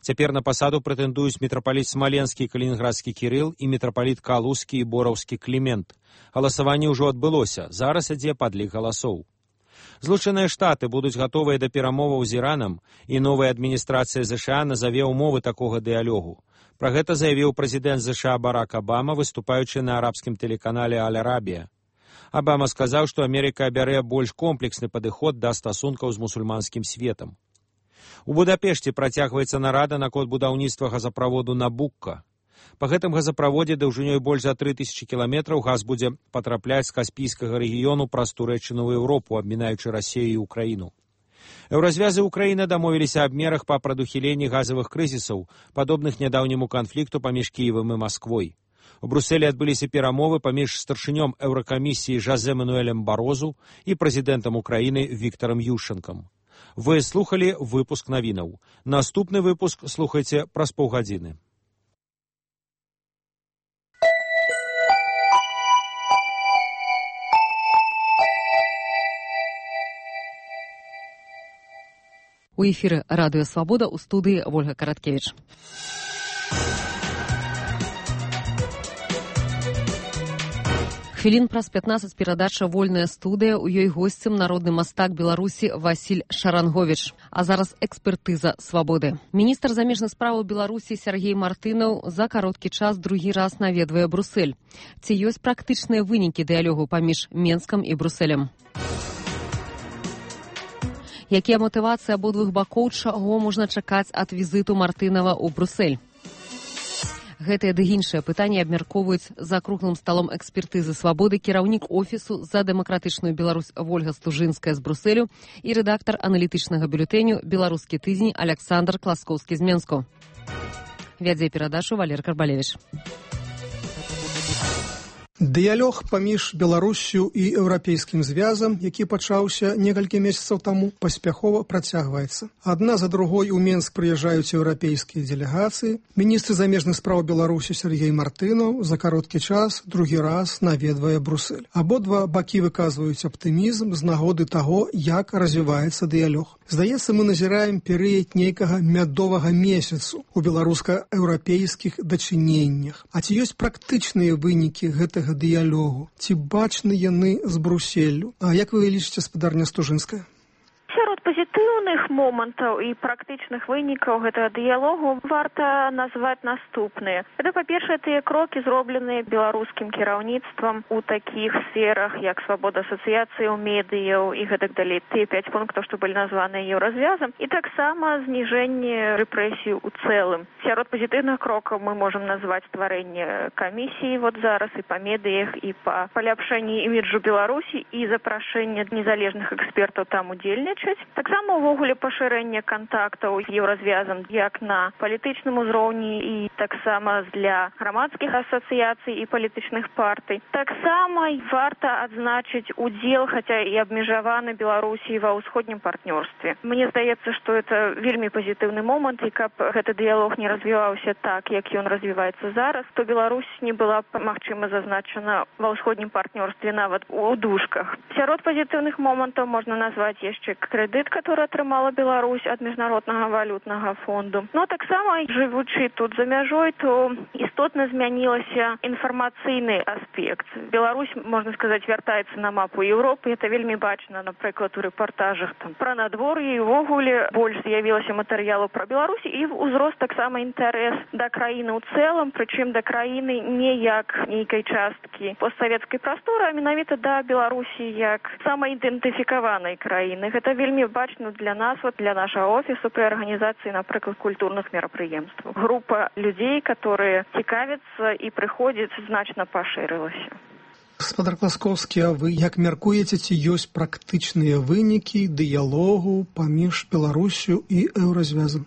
Цяпер на пасаду прэтэндуюць мітрапаліт Смаленскі і Калінінградскі Кірыл і мітрапаліт Калузскі і Бораўскі Клімент. Галасаванне ўжо адбылося, зараз ідзе падлік галасоў. Злучаныя Штаты будуць гатовыя да перамоваў з Іранам, і новая адміністрацыя ЗША назаве ўмовы такога дыялогу. Пра гэта заявіў прэзідэнт ЗША Барак Абама, выступаючы на арабскім тэлеканале «Аль-Арабія». Абама сказаў, што Амерыка абярэ больш комплексны падыход да стасункаў з мусульманскім светам. У Будапешце працягваецца нарада наконт будаўніцтва газаправоду «Набукка». Па гэтым газаправодзе даўжынёй больш за тры тысячы кіламетраў газ будзе патрапляць з Каспійскага рэгіёну праз Турэччыну ў Еўропу, абмінаючы Расію і Украіну. Еўразвязы Украіны дамовіліся аб мерах па прадухіленні газавых крызісаў, падобных нядаўняму канфлікту паміж Кіевам і Масквой. У Брусэлі адбыліся перамовы паміж старшынём Еўракамісіі Жозе Мануэлем Барозу і прэзідэнтам Украіны Віктарам Ющэнкам. Вы слухалі выпуск навінаў. Наступны выпуск слухайце праз паўгадзіны. У эфіры радыё «Свабода» у студыі Вольга Караткевіч. Хвілін праз пятнаццаць перадача «Вольная студыя». У ёй госцем народны мастак Беларусі Васіль Шаранговіч. А зараз экспертыза «Свабоды». Міністр замежных справаў Беларусі Сергей Мартынаў за кароткі час другі раз наведвае Брусэль. Ці ёсць практычныя вынікі дыялогу паміж Менскам і Брусэлем? Якія матывацыі абодвух бакоў, чаго можна чакаць ад візіту Мартынава ў Брюссель? Гэтыя ды іншыя пытанні абмяркоўваюць за круглым сталом экспертызы свабоды кіраўнік офісу за дэмакратычную Беларусь Вольга Стужынская з Брюсселю і рэдактар аналітычнага бюлетэню «Беларускі тыдзень» Александр Класкоўскі з Менску. Вядзе перадачу Валер Карбалевіч. Дыялог паміж Беларуссю і Еўрапейскім звязам, які пачаўся некалькі месяцаў таму, паспяхова працягваецца. Адна за другой у Менск прыязджаюць еўрапейскія дэлегацыі. Міністр замежных спраў Беларусі Сергей Мартынаў за кароткі час другі раз наведвае Брюссель. Абодва бакі выказваюць аптымізм з нагоды таго, як развіваецца дыялог. Здаецца, мы назіраем перыяд нейкага мядовага месяцу у беларуска-еўрапейскіх дачыненнях. А ці ёсць практычныя вынікі гэтага дыялогу? Ці бачны яны з Брюсселю? А як вы лічыце, спадарня Стужынская? Сярод пазітыўных момантаў і практычных вынікаў гэтага дыялогу варта назваць наступныя. Гэта, па-першае, тыя крокі, зробленыя беларускім кіраўніцтвам у такіх сферах, як свабода асацыяцыяў, медыяў і гэтак далей. Тыя пяць пунктаў, што былі названыя еўразвязам, і таксама зніжэнне рэпрэсій у цэлым. Сярод пазітыўных крокаў мы можам назваць стварэнне камісіі вот зараз і па медыях, і па паляпшэнні іміджу Беларусі і запрашэнне незалежных экспертаў там удзельнічаць. Таксама увогуле пашырэнне кантактаў з еўразвязам як на палітычным узроўні і таксама для грамадскіх асацыяцый і палітычных партый. Таксама варта адзначыць удзел, хаця і абмежаваны Беларусі ва ўсходнім партнёрстве. Мне здаецца, што это вельмі пазітыўны момант, і каб гэты дыялог не развіваўся так, як ён развіваецца зараз, то Беларусь не была б, магчыма, зазначана ва ўсходнім партнёрстве нават у дужках. Сярод пазітыўных момантаў можна назваць яшчэ крэдыт, который атрымала Беларусь ад міжнароднага валютнага фонду. Но таксама, жывучы тут за мяжой, то істотна змянілася інфармацыйны аспект. Беларусь, можна сказаць, вяртаецца на мапу Еўропы. Это вельмі бачна, напрыклад, у рэпартажах там пра надвор'е, і ўвогуле больш з'явілася матэрыялу пра Беларусь, і узрост таксама інтарэс да краіны ў цэлым, прычым да краіны не як нейкай часткі постсавецкай прасторы, а менавіта да Беларусі як самаідэнтыфікаванай краіны. Гэта вельмі бачна для нас, вот для нашего офісу при организации, например, культурных мероприемств. Группа людей, которые цікавятся и приходят, значно поширилась. Гаспадар Класкоўскі, а вы як мяркуеце, ці ёсць практычныя вынікі дыялогу паміж Беларусю і Еўразвязам?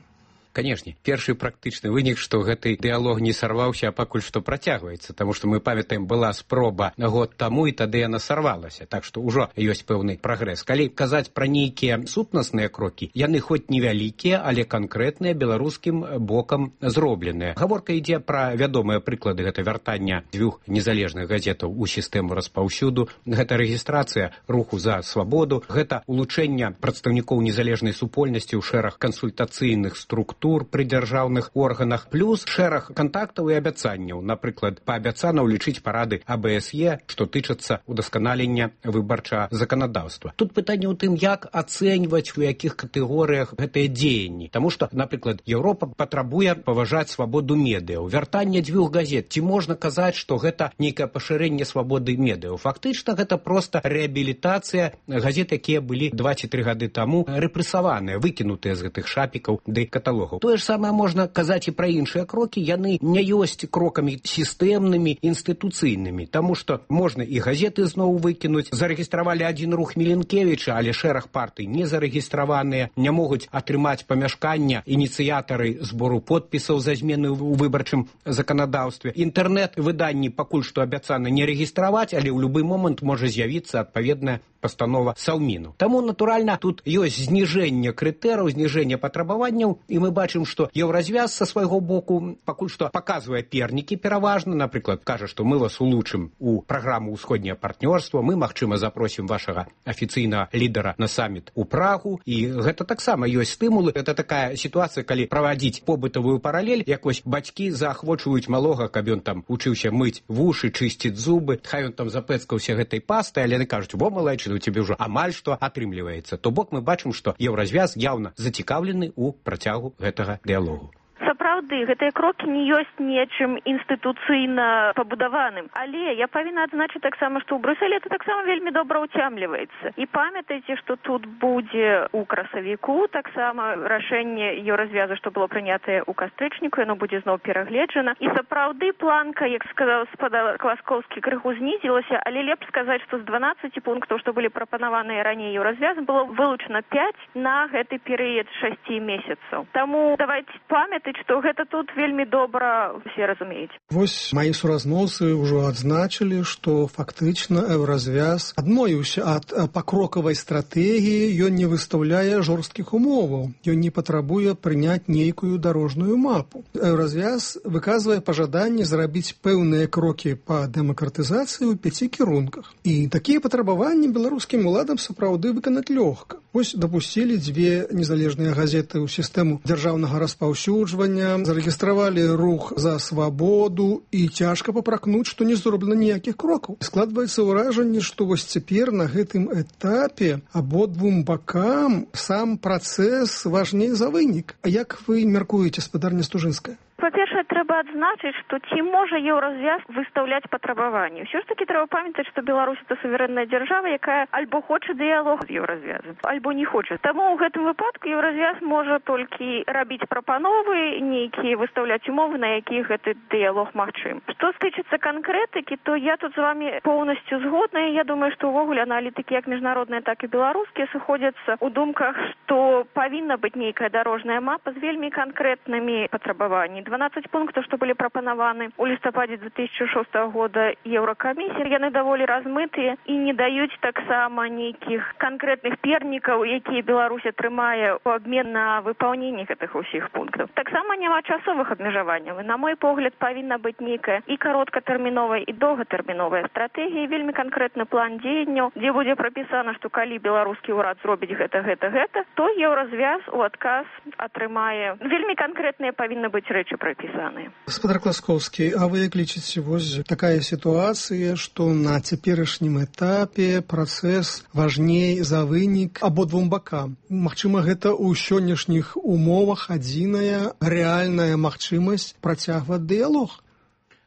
Канешне, першы практычны вынік, што гэты дыялог не сарваўся, а пакуль што працягваецца, таму што мы памятаем, была спроба год таму, і тады яна сарвалася, так што ўжо ёсць пэўны прагрэс. Калі казаць пра нейкія сутнасныя крокі, яны хоць невялікія, але канкрэтныя беларускім бокам зробленыя. Гаворка ідзе пра вядомыя прыклады, гэта вяртання дзвюх незалежных газетаў у сістэму распаўсюду, гэта рэгістрацыя руху за свабоду, гэта улучшэнне прадстаўнікоў незалежнай супольнасці ў шэраг кансультацыйных структур пры дзяржаўных органах, плюс шэраг кантактаў і абяцанняў, напрыклад, паабяцана ўлічыць парады А Б С Е, што тычацца удасканалення выбарчага заканадаўства. Тут пытанне ў тым, як ацэньваць, у якіх катэгорыях гэтыя дзеянні. Таму што, напрыклад, Еўропа патрабуе паважаць свабоду медыяў. Вяртанне дзвюх газет. Ці можна казаць, што гэта нейкае пашырэнне свабоды медыяў? Фактычна, гэта проста рэабілітацыя газет, якія былі два ці тры гады таму рэпрэсаваныя, выкінутыя з гэтых шапікаў ды каталогаў. Тое ж самае можна казаць і пра іншыя крокі, яны не ёсць крокамі сістэмнымі, інстытуцыйнымі, таму што можна і газеты зноў выкінуць. Зарэгістравалі адзін рух Міленкевіча, але шэраг партый не зарэгістраваныя, не могуць атрымаць памяшкання ініцыятары збору подпісаў за змены ў выбарчым заканадаўстве. Інтэрнэт-выданні пакуль што абяцана не рэгістраваць, але ў любы момант можа з'явіцца адпаведная пастанова Саўміну. Таму, натуральна, тут ёсць зніжэнне крытэраў, зніжэнне патрабаванняў, і мы бачым, што Еўразвяз са свайго боку пакуль што паказвае пернікі пераважна, напрыклад, кажа, што мы вас улучшым у праграму ўсходняе партнёрства, мы, магчыма, запросім вашага афіцыйнага лідара на саміт у Прагу, і гэта таксама ёсць стымулы. Гэта такая сітуацыя, калі правадзіць побытавую паралель, якось бацькі заахвочваюць малога, каб ён там учыўся мыць вушы, чысціць зубы, хай ён там запэцкаўся гэтай пастай, але яны кажуць: "Во, малайчык, у цябе ўжо амаль што атрымліваецца". То бок мы бачым, што Еўразвяз яўна зацікаўлены ў працягу гэтага дыялогу. Сапраўды, сапраўды гэтыя крокі не ёсць нечым інстытуцыйна пабудаваным. Але я павінна адзначыць таксама, што ў Брюсселі это таксама вельмі добра ўцямліваецца. І памятайце, што тут будзе ў красавіку таксама рашэнне еўразвязу, што было прынятае ў кастрычніку, яно будзе зноў перагледжана. І сапраўды планка, як сказаў спадар Класкоўскі, крыху знізілася, але лепш сказаць, што з дванаццаці пунктаў, што былі прапанаваныя раней еўразвязам, было вылучана пяць на гэты перыяд шасці месяцаў. Таму давайте памятаць, што гэта тут вельмі добра усе разумеюць. Вось мои суразмоўцы ўжо адзначылі, што фактычна еўразвяз адмовіўся ад пакрокавай стратэгіі, ён не выстаўляе жорсткіх умоваў, ён не патрабуе прыняць нейкую дарожную мапу. Еўразвяз выказвае пажаданне зрабіць пэўныя крокі па дэмакратызацыі ў пяці кірунках. І такія патрабаванні беларускім уладам сапраўды выканаць лёгка. Вось дапусцілі дзве незалежныя газеты ў сістэму дзяржаўнага распаўсюджвання, зарэгістравалі рух за свабоду і цяжка папракнуць, што не зроблена ніякіх крокаў. Складваецца ўражанне, што вось цяпер на гэтым этапе абодвум бакам сам працэс важней за вынік. А як вы мяркуеце, спадарня Стужынская? Па-першае, трэба адзначыць, што ці можа еўразвяз выстаўляць патрабаванні. Ўсё ж такі трэба памятаць, што Беларусь это суверэнная дзяржава, якая альбо хоча дыялог з еўразвязам, альбо не хоча. Таму ў гэтым выпадку еўразвяз можа толькі рабіць прапановы, нейкія выстаўляць умовы, на якіх гэты дыялог магчым. Што стычыцца канкрэтыкі, то я тут з вами поўнасцю згодна, і я думаю, што ўвогуле аналітыкі як міжнародныя, так і беларускія сыходзяцца ў думках, што павінна быць нейкая дарожная мапа з вельмі канкрэтнымі патрабаваннямі. дванаццаць пунктаў, што былі прапанаваны ў лістападзе две тысячи шостага года Еўракамісіі, яны даволі размытыя і не даюць таксама нейкіх канкрэтных пернікаў, якія Беларусь атрымае ў абмен на выпаўненне гэтых усіх пунктаў. Таксама няма часовых абмежаванняў. На мой погляд, павінна быць нейкая і кароткатэрміновая, і доўгатэрміновая стратэгія, вельмі канкрэтны план дзеянняў, дзе будзе прапісана, што калі беларускі ўрад зробіць гэта, гэта, гэта, то еўразвяз у адказ атрымае. Вельмі канкрэтныя павінны быць рэчы прапісаныя. Спадар Класкоўскі, а вы як лічыце, вось такая сітуацыя, што на цяперашнім этапе працэс важней за вынік абодвум бакам. Магчыма, гэта ў сённяшніх умовах адзіная рэальная магчымасць працягваць дыялог.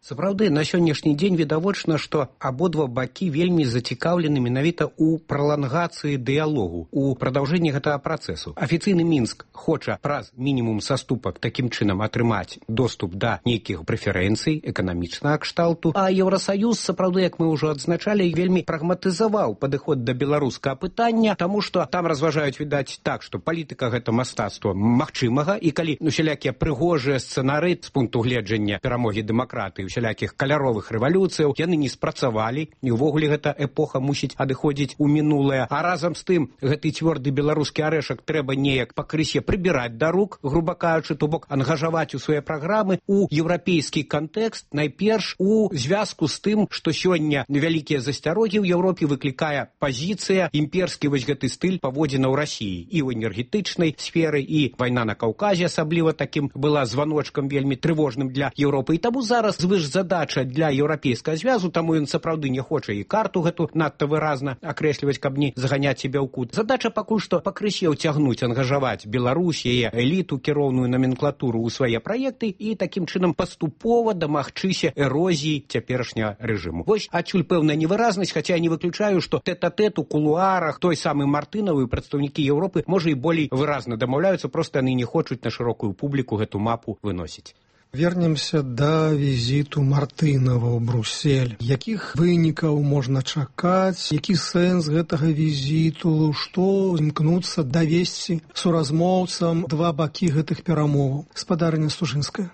Сапраўды, на сённяшні дзень відавочна, што абодва бакі вельмі зацікаўлены менавіта ў пралангацыі дыялогу, у прадаўжэнні гэтага працэсу. Афіцыйны Мінск хоча праз мінімум саступак такім чынам атрымаць доступ да нейкіх прэферэнцый эканамічнага кшталту, а Еўрасаюз, сапраўды, як мы ўжо адзначалі, вельмі прагматызаваў падыход да беларускага пытання, таму што там разважаюць, відаць, так, што палітыка гэта мастацтва магчымага, і калі усялякія прыгожыя сцэнары з пункту гледжання перамогі дэмакратыі, усялякіх каляровых рэвалюцыяў, яны не спрацавалі, і ўвогуле гэта эпоха мусіць адыходзіць у мінулае. А разам з тым, гэты цвёрды беларускі арэшак трэба неяк пакрысе прыбіраць да рук, груба кажучы, то бок ангажаваць у свае праграмы у еўрапейскі кантэкст, найперш у звязку з тым, што сёння вялікія засцярогі ў Еўропе выклікае пазіцыя, імперскі вось гэты стыль паводзінаў Расіі і ў энергетычнай сферы, і вайна на Каўказе асабліва такім была званочкам вельмі трывожным для Еўропы. І таму зараз звыш задача для еўрапейскага звязу, таму ён сапраўды не хоча і карту гэту надта выразна акрэсліваць, каб не заганяць себе ў кут. Задача пакуль што пакрысе ўцягнуць, ангажаваць Беларусь, яе эліту, кіроўную номенклатуру ў свае праекты і такім чынам паступова дамагчыся эрозіі цяперашняга рэжыму. Вось адсюль пэўная невыразнасць, хаця я не выключаю, што тэт-а-тэт у кулуарах той самы Мартынавы і прадстаўнікі Еўропы можа і болей выразна дамаўляюцца, проста яны не хочуць на шырокую публіку гэту мапу выносіць. Вернемся да візіту Мартынава ў Бруссель. Якіх вынікаў можна чакаць? Які сэнс гэтага візіту? Што імкнуцца давесці суразмоўцам два бакі гэтых перамоваў? Спадарня Стужынская.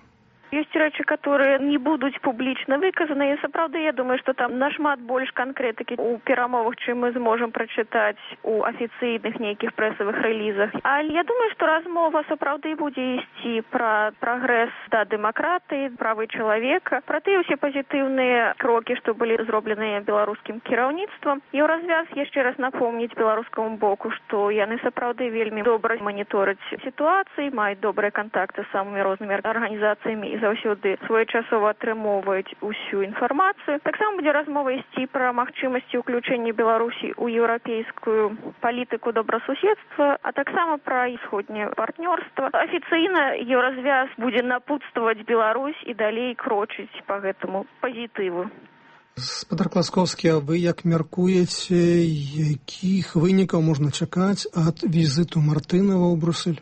Ёсць рэчы, которые не будуць публічна выказаны, і сапраўды я думаю, што там нашмат больш канкрэтыкі ў перамовах, чым мы зможам прачытаць у афіцыйных нейкіх прэсавых рэлізах. Але я думаю, што размова сапраўды будзе ісці пра прагрэс да дэмакратыі, правы чалавека, пра тыя ўсе пазітыўныя крокі, што былі зробленыя беларускім кіраўніцтвам. Еўразвяз яшчэ раз напомніць беларускаму боку, што яны сапраўды вельмі добра манітораць сітуацыі, маюць добрыя кантакты з самымі рознымі арганізацыямі і не заўсёды своечасова атрымоўваюць усю інфармацыю. Таксама будзе размова ісці пра магчымасці ўключэння Беларусі ў еўрапейскую палітыку добрасуседства, а таксама пра усходняе партнёрства. Афіцыйна Еўразвяз будзе напутстваваць Беларусь і далей крочыць па гэтаму пазітыву. Спадар Класкоўскі, а вы як мяркуеце, якіх вынікаў можна чакаць ад візіту Мартынава ў Брусэль?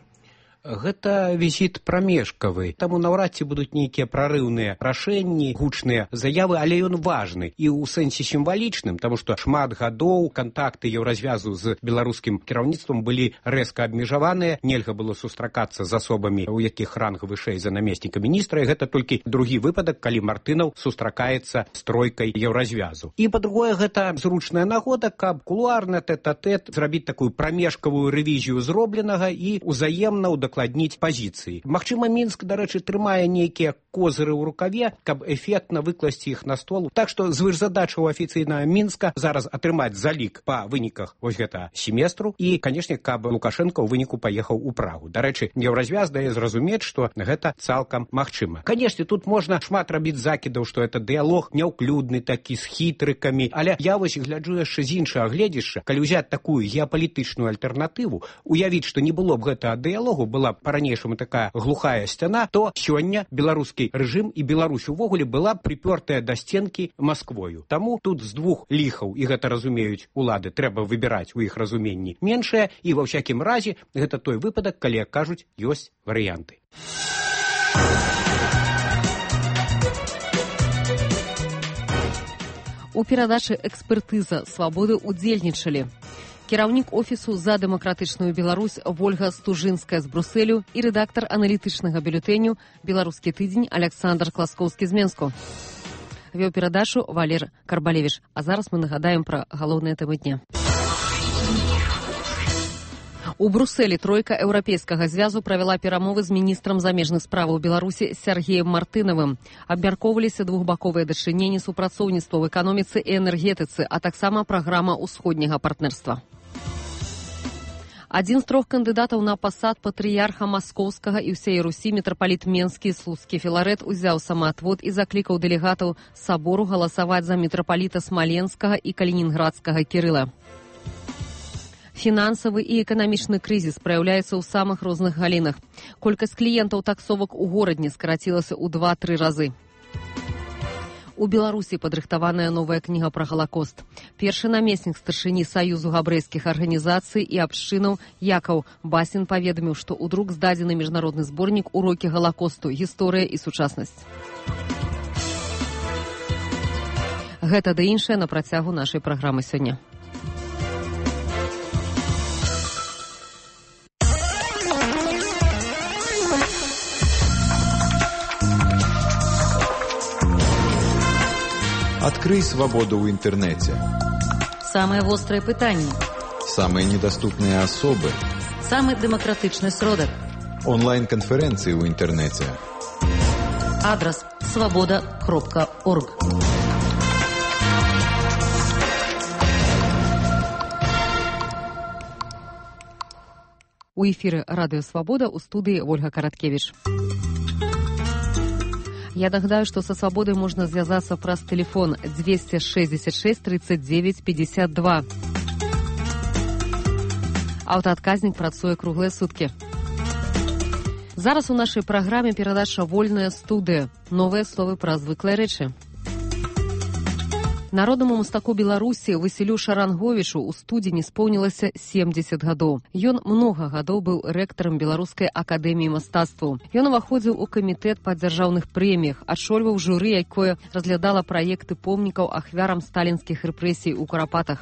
Гэта візіт прамежкавы, таму наўрад ці будуць нейкія прарыўныя рашэнні, гучныя заявы, але ён важны і ў сэнсе сімвалічным, таму што шмат гадоў кантакты Еўразвязу з беларускім кіраўніцтвам былі рэзка абмежаваныя, нельга было сустракацца з асобамі, у якіх ранг вышэй за намесніка міністра, і гэта толькі другі выпадак, калі Мартынаў сустракаецца з тройкай Еўразвязу. І па-другое, гэта зручная нагода, каб кулуарна тэт-а-тэт зрабіць такую прамежкавую рэвізію зробленага і ўзаемна ўдакладніць дакладніць пазіцыі. Магчыма, Мінск, дарэчы, трымае нейкія козыры ў рукаве, каб эфектна выкласці іх на стол. Так што звышзадача ў афіцыйнага Мінска зараз атрымаць залік па выніках вось гэта семестру і, канешне, каб Лукашенко ў выніку паехаў у Прагу. Дарэчы, Еўразвяз дае зразумець, што гэта цалкам магчыма. Канешне, тут можна шмат рабіць закідаў, што гэта дыялог няўклюдны такі з хітрыкамі, але я вось гляджу яшчэ з іншага гледзяшча, калі ўзяць такую геапалітычную альтэрнатыву, уявіць, што не было б гэтага дыялогу, была па-ранейшаму такая глухая сцяна, то сёння беларускі рэжым і Беларусь увогуле была прыпёртая да сценкі Масквою. Таму тут з двух ліхаў, і гэта разумеюць улады, трэба выбіраць у іх разуменні меншае, і ва ўсякім разе гэта той выпадак, калі, як кажуць, ёсць варыянты. У перадачы «Экспертыза свабоды» удзельнічалі кіраўнік офісу «За дэмакратычную Беларусь» Вольга Стужынская з Брусэлю і рэдактар аналітычнага бюлетэню «Беларускі тыдзень» Александр Класкоўскі з Менску. Вёў перадачу Валер Карбалевіч. А зараз мы нагадаем пра галоўныя тэмы дня. У Брусэлі тройка Еўрапейскага звязу правяла перамовы з міністрам замежных справаў Беларусі Сергеем Мартынавым. Абмяркоўваліся двухбаковыя дачыненні, супрацоўніцтва ў эканоміцы і энергетыцы, а таксама праграма ўсходняга партнерства. Адзін з трох кандыдатаў на пасад патрыярха Маскоўскага і ўсей Русі мітрапаліт Менскі Слуцкі Філарэт узяў самаатвод і заклікаў дэлегатаў сабору галасаваць за мітрапаліта Смаленскага і Калінінградскага Кірыла. Фінансавы і эканамічны крызіс праяўляецца ў самых розных галінах. Колькасць кліентаў таксовак у горадні скарацілася ў два-тры разы. У Беларусі падрыхтаваная новая кніга пра Галакост. Першы намеснік старшыні Саюзу габрэйскіх арганізацый і абшчынаў Якаў Басін паведаміў, што ў друк здадзены міжнародны зборнік «Урокі Галакосту. Гісторыя і сучаснасць». Гэта ды іншае на працягу нашай праграмы сёння. Открой свободу в интернете. Самые острые пытания. Самые недоступные особы. Самый демократичный сродок. Онлайн-конференции в интернете. Адрес свобода кропка орг. У эфіры радыё «Свабода», у студыі Ольга Караткевіч. Я нагадаю, што са «Свабодай» можна звязацца праз тэлефон двести шестьдесят шесть тридцать девять пятьдесят два. Аўтаадказнік працуе круглыя суткі. Зараз у нашай праграме перадача «Вольная студыя». Новыя словы пра звыклыя рэчы. Народнаму мастаку Беларусі Васілю Шаранговічу ў студзені споўнілася семьдесят гадоў. Ён многа гадоў быў рэктарам Беларускай акадэміі мастацтваў. Ён уваходзіў у камітэт па дзяржаўных прэміях, адшольваў журы, якое разглядала праекты помнікаў ахвярам сталінскіх рэпрэсій у Курапатах.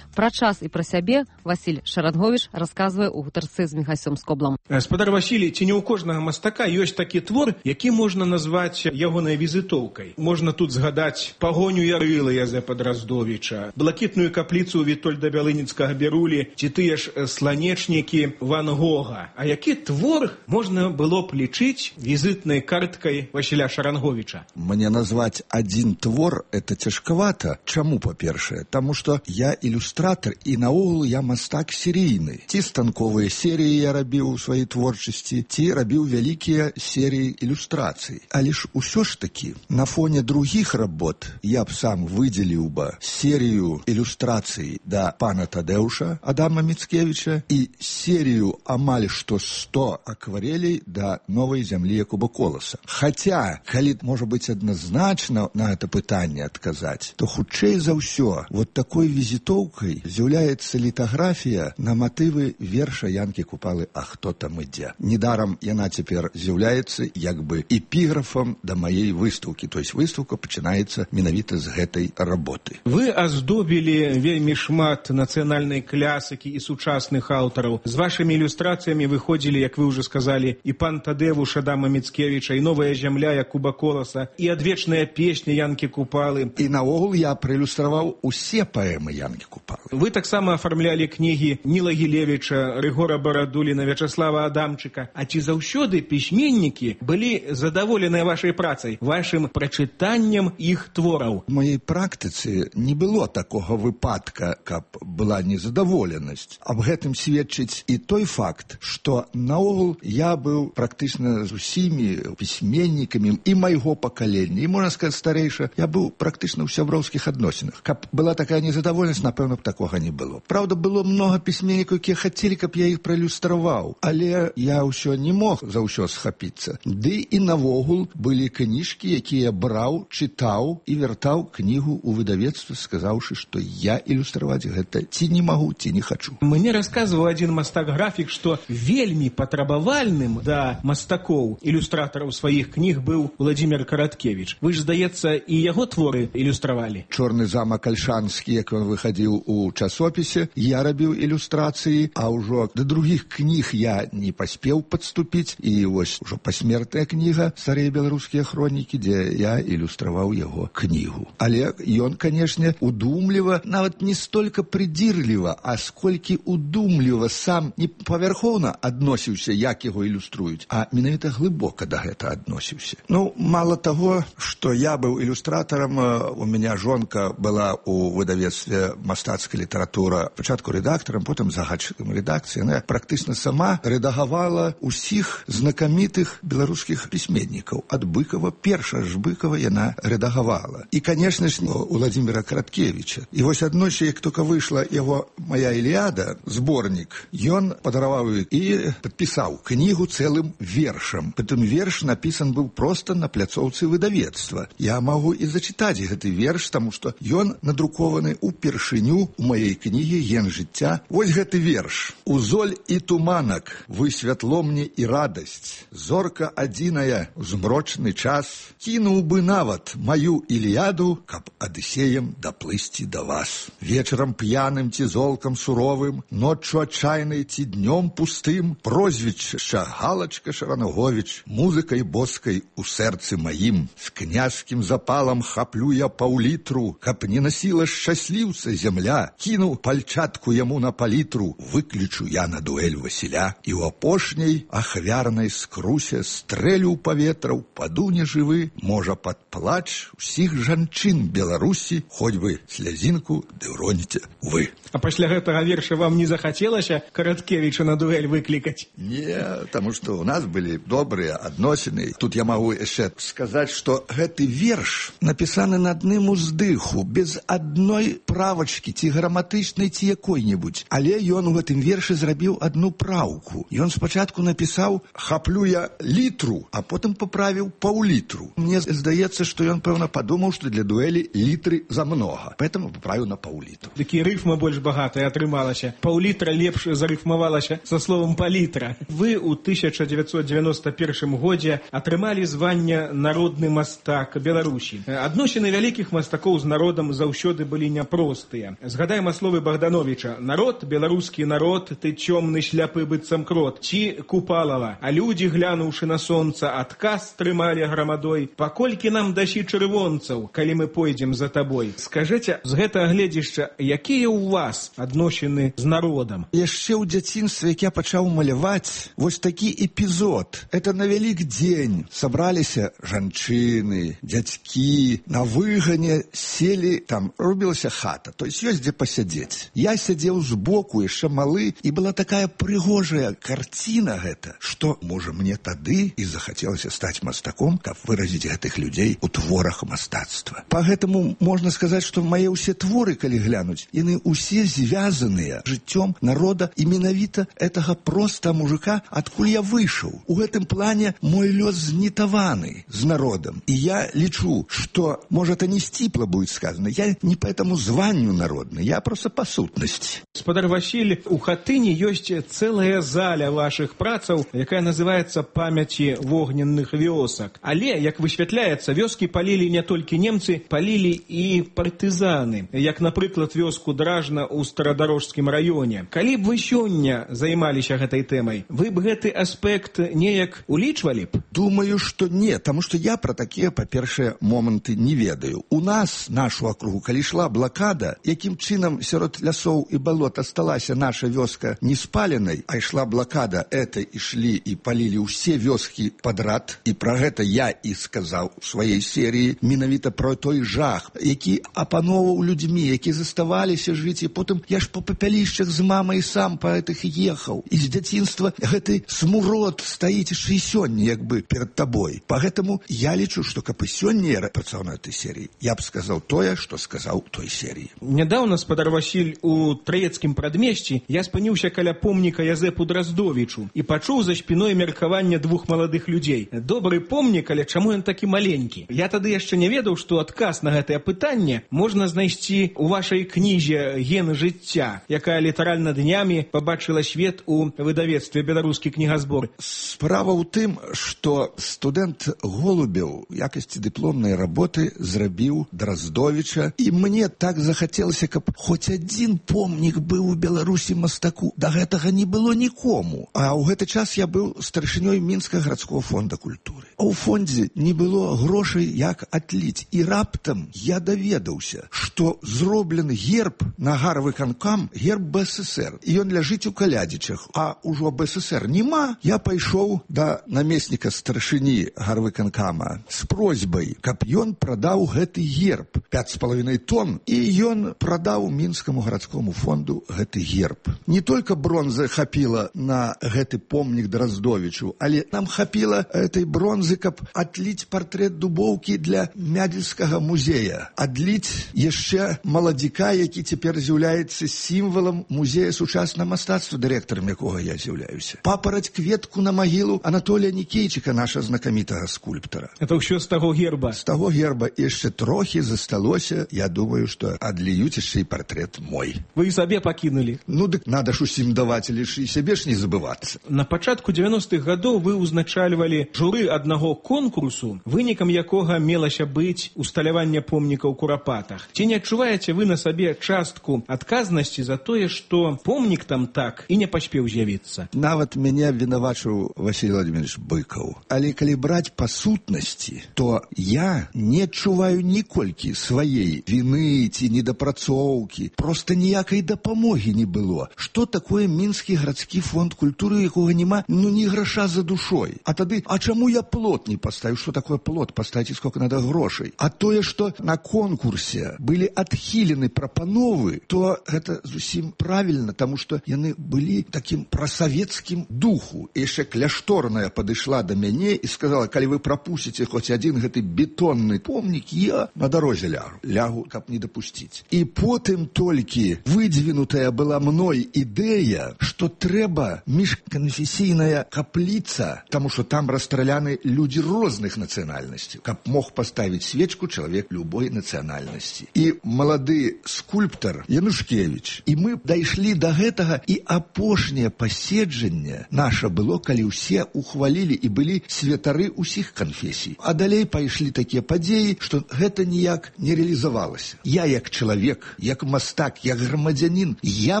Пра час і пра сябе Васіль Шаранговіч расказвае ў гутарцы з Міхасём Скоблам. Спадар Васілій, ці не ў кожнага мастака ёсць такі твор, які можна назваць ягонай візітоўкай. Можна тут згадаць пагоню Ярыла Язэпа Драздовіча, блакітную капліцу Вітольда Бялыніцкага Берулі, ці тыя ж сланечнікі Ван Гога. А які твор можна было б лічыць візітнай карткай Васіля Шаранговіча? Мне назваць адзін твор — это цяжкавата. Чаму, па-першае? Таму што я ілюстратор ілюстратар і наогул я мастак серійны. Ці станковыя серыі я рабіў у сваёй творчасці, ці рабіў вялікія серыі ілюстрацый. Але ж усё ж такі на фоне другіх работ я б сам выдзеліў бы серію ілюстрацый да пана Тадэуша Адама Міцкевіча і серію амаль што сто акварелей да новай зямлі Якуба Коласа. Хаця, калі можа быць адназначна на гэта пытанне адказаць, то хутчэй за ўсё вот такой візітоўкай з'яўляецца літаграфія на матывы верша Янкі Купалы «А хто там ідзе?». Недарам яна цяпер з'яўляецца як бы эпіграфам да маей выстаўкі, то есть выстаўка пачынаецца менавіта з гэтай работы. Вы аздобілі вельмі шмат нацыянальнай клясыкі і сучасных аўтараў. З вашымі ілюстрацыямі выходзілі, як вы ўжо сказалі, і пан Тадэвуш Адама Міцкевіча, і новая зямля Якуба Коласа, і адвечная песня Янкі Купалы. І наогул я праілюстраваў усе паэмы Янкі Купалы. Вы таксама афармлялі кнігі Ніла Гілевіча, Рыгора Барадуліна, Вячаслава Адамчыка. А ці заўсёды пісьменнікі былі задаволеныя вашай працай, вашым прачытаннем іх твораў? У маёй практыцы не было такога выпадка, каб была незадаволенасць. Аб гэтым сведчыць і той факт, што наогул я быў практычна з усімі пісьменнікамі і майго пакалення, і, можна сказаць, старэйша, я быў практычна ў сяброўскіх адносінах. Каб была такая незадаволенасць, напэўна, б такога не было. Праўда, было многа пісьменнікаў, якія хацелі, каб я іх праілюстраваў, але я ўсё не мог за ўсё схапіцца. Ды і навогул былі кніжкі, якія браў, чытаў і вяртаў кнігу ў выдавецтва, сказаўшы, што я ілюстраваць гэта ці не магу, ці не хачу. Мне расказваў адзін мастак-графік, што вельмі патрабавальным да мастакоў, ілюстратараў сваіх кніг быў Владзімир Караткевіч. Вы ж, здаецца, і яго творы ілюстравалі. «Чорны замак Альшанскі», як ён выхадзіў у часопісе, я рабіў ілюстрацыі, а ўжо да другіх кніг я не паспеў падступіць, і вось ужо пасмертная кніга «Старыя беларускія хронікі», дзе я ілюстраваў яго кнігу. Але ён, канешне, удумліва, нават не столькі прыдзірліва, а сколькі удумліва сам не павярхоўна адносіўся, як яго ілюструюць, а менавіта глыбока да гэта адносіўся. Ну, мала таго, што я быў ілюстратарам, у мяне жонка была у выдавецтве «Мастацкая літаратура», пачатку рэдактарам, потым загадчыкам рэдакцыі. Яна практычна сама рэдагавала усіх знакамітых беларускіх пісьменнікаў. Ад Быкова, перша ж Быкова яна рэдагавала. І, канешне ж, у Владзіміра Караткевіча. І вось адносі, як толькі выйшла яго «Моя Іліада», зборнік, ён падараваў і падпісаў кнігу цэлым вершам. Прытым верш напісан быў проста на пляцоўцы выдавецтва. Я магу і зачытаць гэты верш, таму што ён надрукаваны ўпершыню у маёй кнігі «Ген жыцця». Вось гэты верш. «Узоль і туманак, вы святло мне і радасць. Зорка адзіная, змрочны час. Кінуў бы нават маю Іліяду, каб адысеем даплысці да вас. Вечарам п'яным ці золкам суровым, ноччу адчайнай ці днём пустым, прозвішча Галачка Шаранаговіч, музыкай боскай у сэрцы маім. З княжскім запалам хаплю я паўлітру, каб не насіла шчасліўца зямля. Кінуў пальчатку яму на палітру, выключу я на дуэль Васіля. І ў апошняй ахвярнай скрусе стрэлю ў паветра, упаду нежывы, можа пад плач усіх жанчын Беларусі, хоць бы слязінку ды ўроніце вы». А пасля гэтага верша вам не захацелася Караткевіча на дуэль выклікаць? Не, таму што ў нас былі добрыя адносіны. Тут я магу яшчэ сказаць, што гэты верш напісаны на адным уздыху, без адной правачкі, ці граматычнай, ці якой-небудзь. Але ён у гэтым вершы зрабіў адну праўку. Ён спачатку напісаў «хаплю я літру», а потым паправіў паўлітру. Мне здаецца, што ён, пэўна, падумаў, што для дуэлі літры замнога. Поэтому паправіў на паўлітру. Такі рыфма больш багатая атрымалася. Паўлітра лепш зарыфмавалася са словам палітра. Вы ў тысяча дзевяцьсот дзевяноста першым годзе атрымалі звання «Народны мастак Беларусі». Адносіны вялікіх мастакоў з народам заўсёды былі няпростыя. Згадаем словы Богдановича: «Народ, беларускі народ, ты цёмны шляпы быццам крот». Ці Купалава: «А людзі, глянуўшы на сонца, адказ трымалі грамадой. Паколькі нам дасі чырвонцаў, калі мы пойдзем за табой». Скажыце, з гэтага гледзішча, якія ў вас адносіны з народам? Яшчэ ў дзяцінстве, як я пачаў маляваць, вось такі эпізод. Это на вялік дзень сабраліся жанчыны, дзядзькі, на выгане селі, там робілася хата. То есть ёсць дзе пасядзець. Я сядзеў збоку, яшчэ малы, і была такая прыгожая карціна гэта, што, можа, мне тады і захацелася стаць мастаком, каб выразіць гэтых людзей у творах мастацтва. Па гэтаму можна сказаць, што мае ўсе творы, калі глянуць, яны ўсе звязаныя жыццём народа і менавіта гэтага проста мужика, адкуль я выйшаў. У гэтым плане мой лёс знітаваны з народам. І я лічу, што, можа, это не сціпла будет сказано, я не по этому званню народны, я просто по сутнасці. Спадар Васіль, у Хатыні ёсць цэлая заля вашых працаў, якая называецца «Памяці вогненных вёсак». Але, як высвятляецца, вёскі палілі не толькі немцы, палілі і партызаны, як, напрыклад, вёску Дражна ў Старадарожскім раёне. Калі б вы сёння займаліся гэтай тэмай, вы б гэты аспект неяк улічвалі б? Думаю, што не, таму што я пра такія, па-першае, моманты не ведаю. У нас, нашу акругу, калі ішла блакада, якім чынам сярод лясоў і балот асталася наша вёска не спаленай, а ішла блакада, это ішлі і палілі ўсе вёскі падрад, і пра гэта я і сказаў у сваёй серыі, менавіта пра той жах, які апаноўваў людзьмі, які заставаліся жыць, і потым я ж па папялішчах з мамай сам па гэтых ехаў. І з дзяцінства гэты смурод стаіць яшчэ і сёння, як бы, перад табой. Па гэтаму я лічу, што каб і сёння я працаваў на этой серыі, я б сказаў тое, што сказаў у той серыі. Нядаўна, спадар Васіль, у Траецкім прадмешці я спыніўся каля помніка Язэпу Драздовічу і пачуў за спіной меркаванне двух маладых людзей. Добры помнік, але чаму ён такі маленькі? Я тады яшчэ не ведаў, што адказ на гэтае пытанне можна знайсці ў вашай кнізе «Гены жыцця», якая літаральна днямі пабачыла свет у выдавецтве «Беларускі кнігазбор». Справа ў тым, што студэнт Голубеў у якасці дыпломнай работы зрабіў Драздовіча, і мне так захацелася, каб хоць адзін помнік быў у Беларусі мастаку. Да гэтага не было нікому. А ў гэты час я быў старшынёй Мінскага гарадскога фонда культуры. А ў фондзе не было грошай, як атліць. І раптам я даведаўся, што зроблены герб на гарвыканкам, герб БССР. І ён ляжыць у Калядзічах. А ўжо БССР нема. Я пайшоў да намесніка старшыні гарвыканкама з просьбай, каб ён прадаў гэты герб. пяць з паловінай тонн. І ён прадаў Мінскаму гарадскому фонду гэты герб. Не толькі бронзы хапіла на гэты помнік Драздовічу, але нам хапіла этой бронзы, каб адліць партрэт Дубоўкі для Мядзельскага музея. Адліць яшчэ маладзіка, які цяпер з'яўляецца сімвалам музея сучаснага мастацтва, дырэктарам якога я з'яўляюся. Папараць кветку на магілу Анатолія Нікейчыка, наша знакамітага скульптара. Это ўсё з таго герба? З таго герба яшчэ трохі засталося. Я думаю, што адліюць яшчэ і партрэт мой. Вы і сабе пакінулі? Ну, дык надо ж усім даваць, але ж і сябе ж не забывацца. На пачатку дзевяностых гадоў вы ўзначальвалі журы аднаго конкурсу, вынікам якога мелася быць усталяванне помніка ў Курапатах. Ці не адчуваеце вы на сабе частку адказнасці за тое, што помнік там так і не паспеў з'явіцца? Нават мяне абвінавачыў Васіль Владимирович Быкаў. Але калі браць па сутнасці, то я не адчуваю ніколькі сваей віны ці недапрацоўкі. Проста ніякай дапамогі не было. Што такое Мінскі гарадскі фонд культуры, якога няма, ну, ні граша за душой. А тады, а чаму я плот не паставіў? Што такое плот? Паставіце сколько надо грошай. А тое, што на конкурсе былі адхілены прапановы, то гэта зусім правільна, таму што яны былі такім прасавецкім духу. І яшчэ кляшторная падышла да мяне і сказала, калі вы прапусціце хоць адзін гэты бетонны помнік, я на дарозе лягу. Лягу, каб не дапусціць. І потым толькі выдвинутая была мной ідэя, што трэба міжканфесійная капліца, таму што там расстраляны людзі розных нацыянальнасцяў, каб мог паставіць свечку чалавек любой нацыянальнасці. І малады скульптар Янушкевіч. І мы дайшлі да гэтага, і апошняе паседжанне наша было, калі ўсе ухвалілі і былі святары ўсіх канфесій. А далей пайшлі такія падзеі, што гэта ніяк не рэалізавалася. Я як чалавек, як мастак, як грамадзянін, я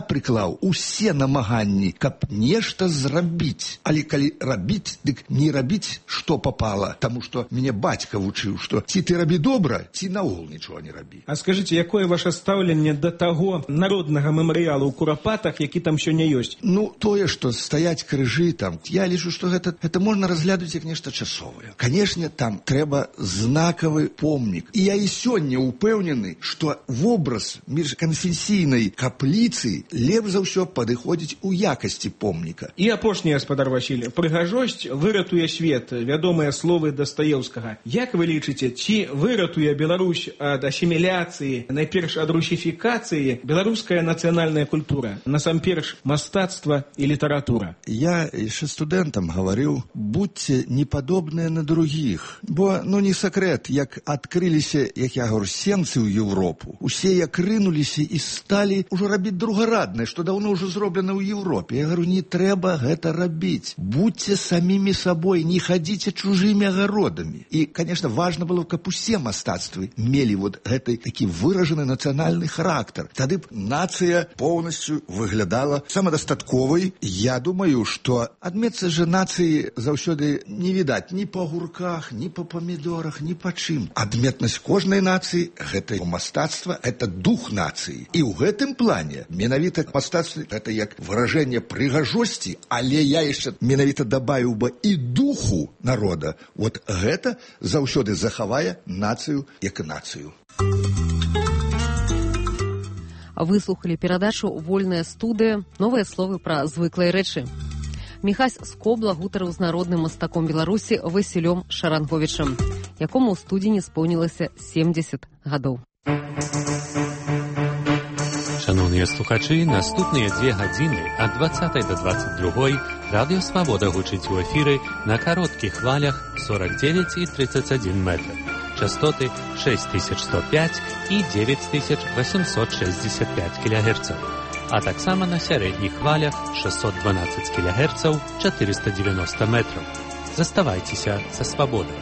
прыклаў усе намаганні, каб нешта зрабіць. Але калі рабіць, дык не рабіць, што папала, таму што мяне бацька вучыў, што ці ты рабі добра, ці наогул нічога не рабі. А скажыце, якое ваше стаўленне да таго народнага мемарыялу ў Курапатах, які там сёння ёсць? Ну, тое, што стаяць крыжы там, я лічу, што гэта, гэта можна разглядаць як нешта часовае. Канешне, там трэба знакавы помнік. І я і сёння ўпэўнены, што вобраз больш канфесійнай капліцы лепш за ўсё падыходзіць у якасці помніка. І апошні, гаспадар Васіль, прыгажосць выратуе свет, вядомыя словы Дастаеўскага. Як вы лічыце, ці выратуе Беларусь ад асіміляцыі, найперш ад русіфікацыі, беларуская нацыянальная культура, насамперш мастацтва і літаратура? Я яшчэ студэнтам гаварыў, будьце не падобныя на другіх, бо, ну, не сакрэт, як адкрыліся, як я говорю, сенцы ў Европу, усе як рынуліся і сталі ўжо рабіць другараднае, што даўно ўжо зроблена ў Европе. Я говорю, не трэба гэта рабіць. Будьце самімі сабой, не хадзіце чужымі агародамі. І, конечно, важна было, каб усе мастацтвы мелі вот гэты такі выражаны нацыянальны характар. Тады б нацыя поўнасцю выглядала самадастатковай. Я думаю, што адметцы же нацыі заўсёды не відаць ні па гурках, ні па памідорах, ні па чым. Адметнасць кожнай нацыі — гэта мастацтва, это дух нацыі. І ў гэтым плане менавіта мастацтва — гэта як выражэнне прыгажосці, але я яшчэ менавіта дабавіў бы і духу народа. Вот гэта заўсёды захавае нацыю як нацыю. Выслухалі перадачу «Вольная студыя», новыя словы пра звыклыя рэчы. Міхась Скобла гутарыў з народным мастаком Беларусі Васілём Шаранговічам, якому ў студзені споўнілася семдзесят гадоў. Шановныя слухачы, наступныя дзве гадзіны ад дваццатай да дваццаць другой радыё Свабода гучыць у эфіры на кароткіх хвалях сорок девять і тридцать один метр. Частоты шесть тысяч сто пять і девять тысяч восемьсот шестьдесят пять килогерцаў, а таксама на сярэдніх хвалях шестьсот двенадцать килогерцаў, четыреста девяносто метров. Заставайцеся са Свабодай.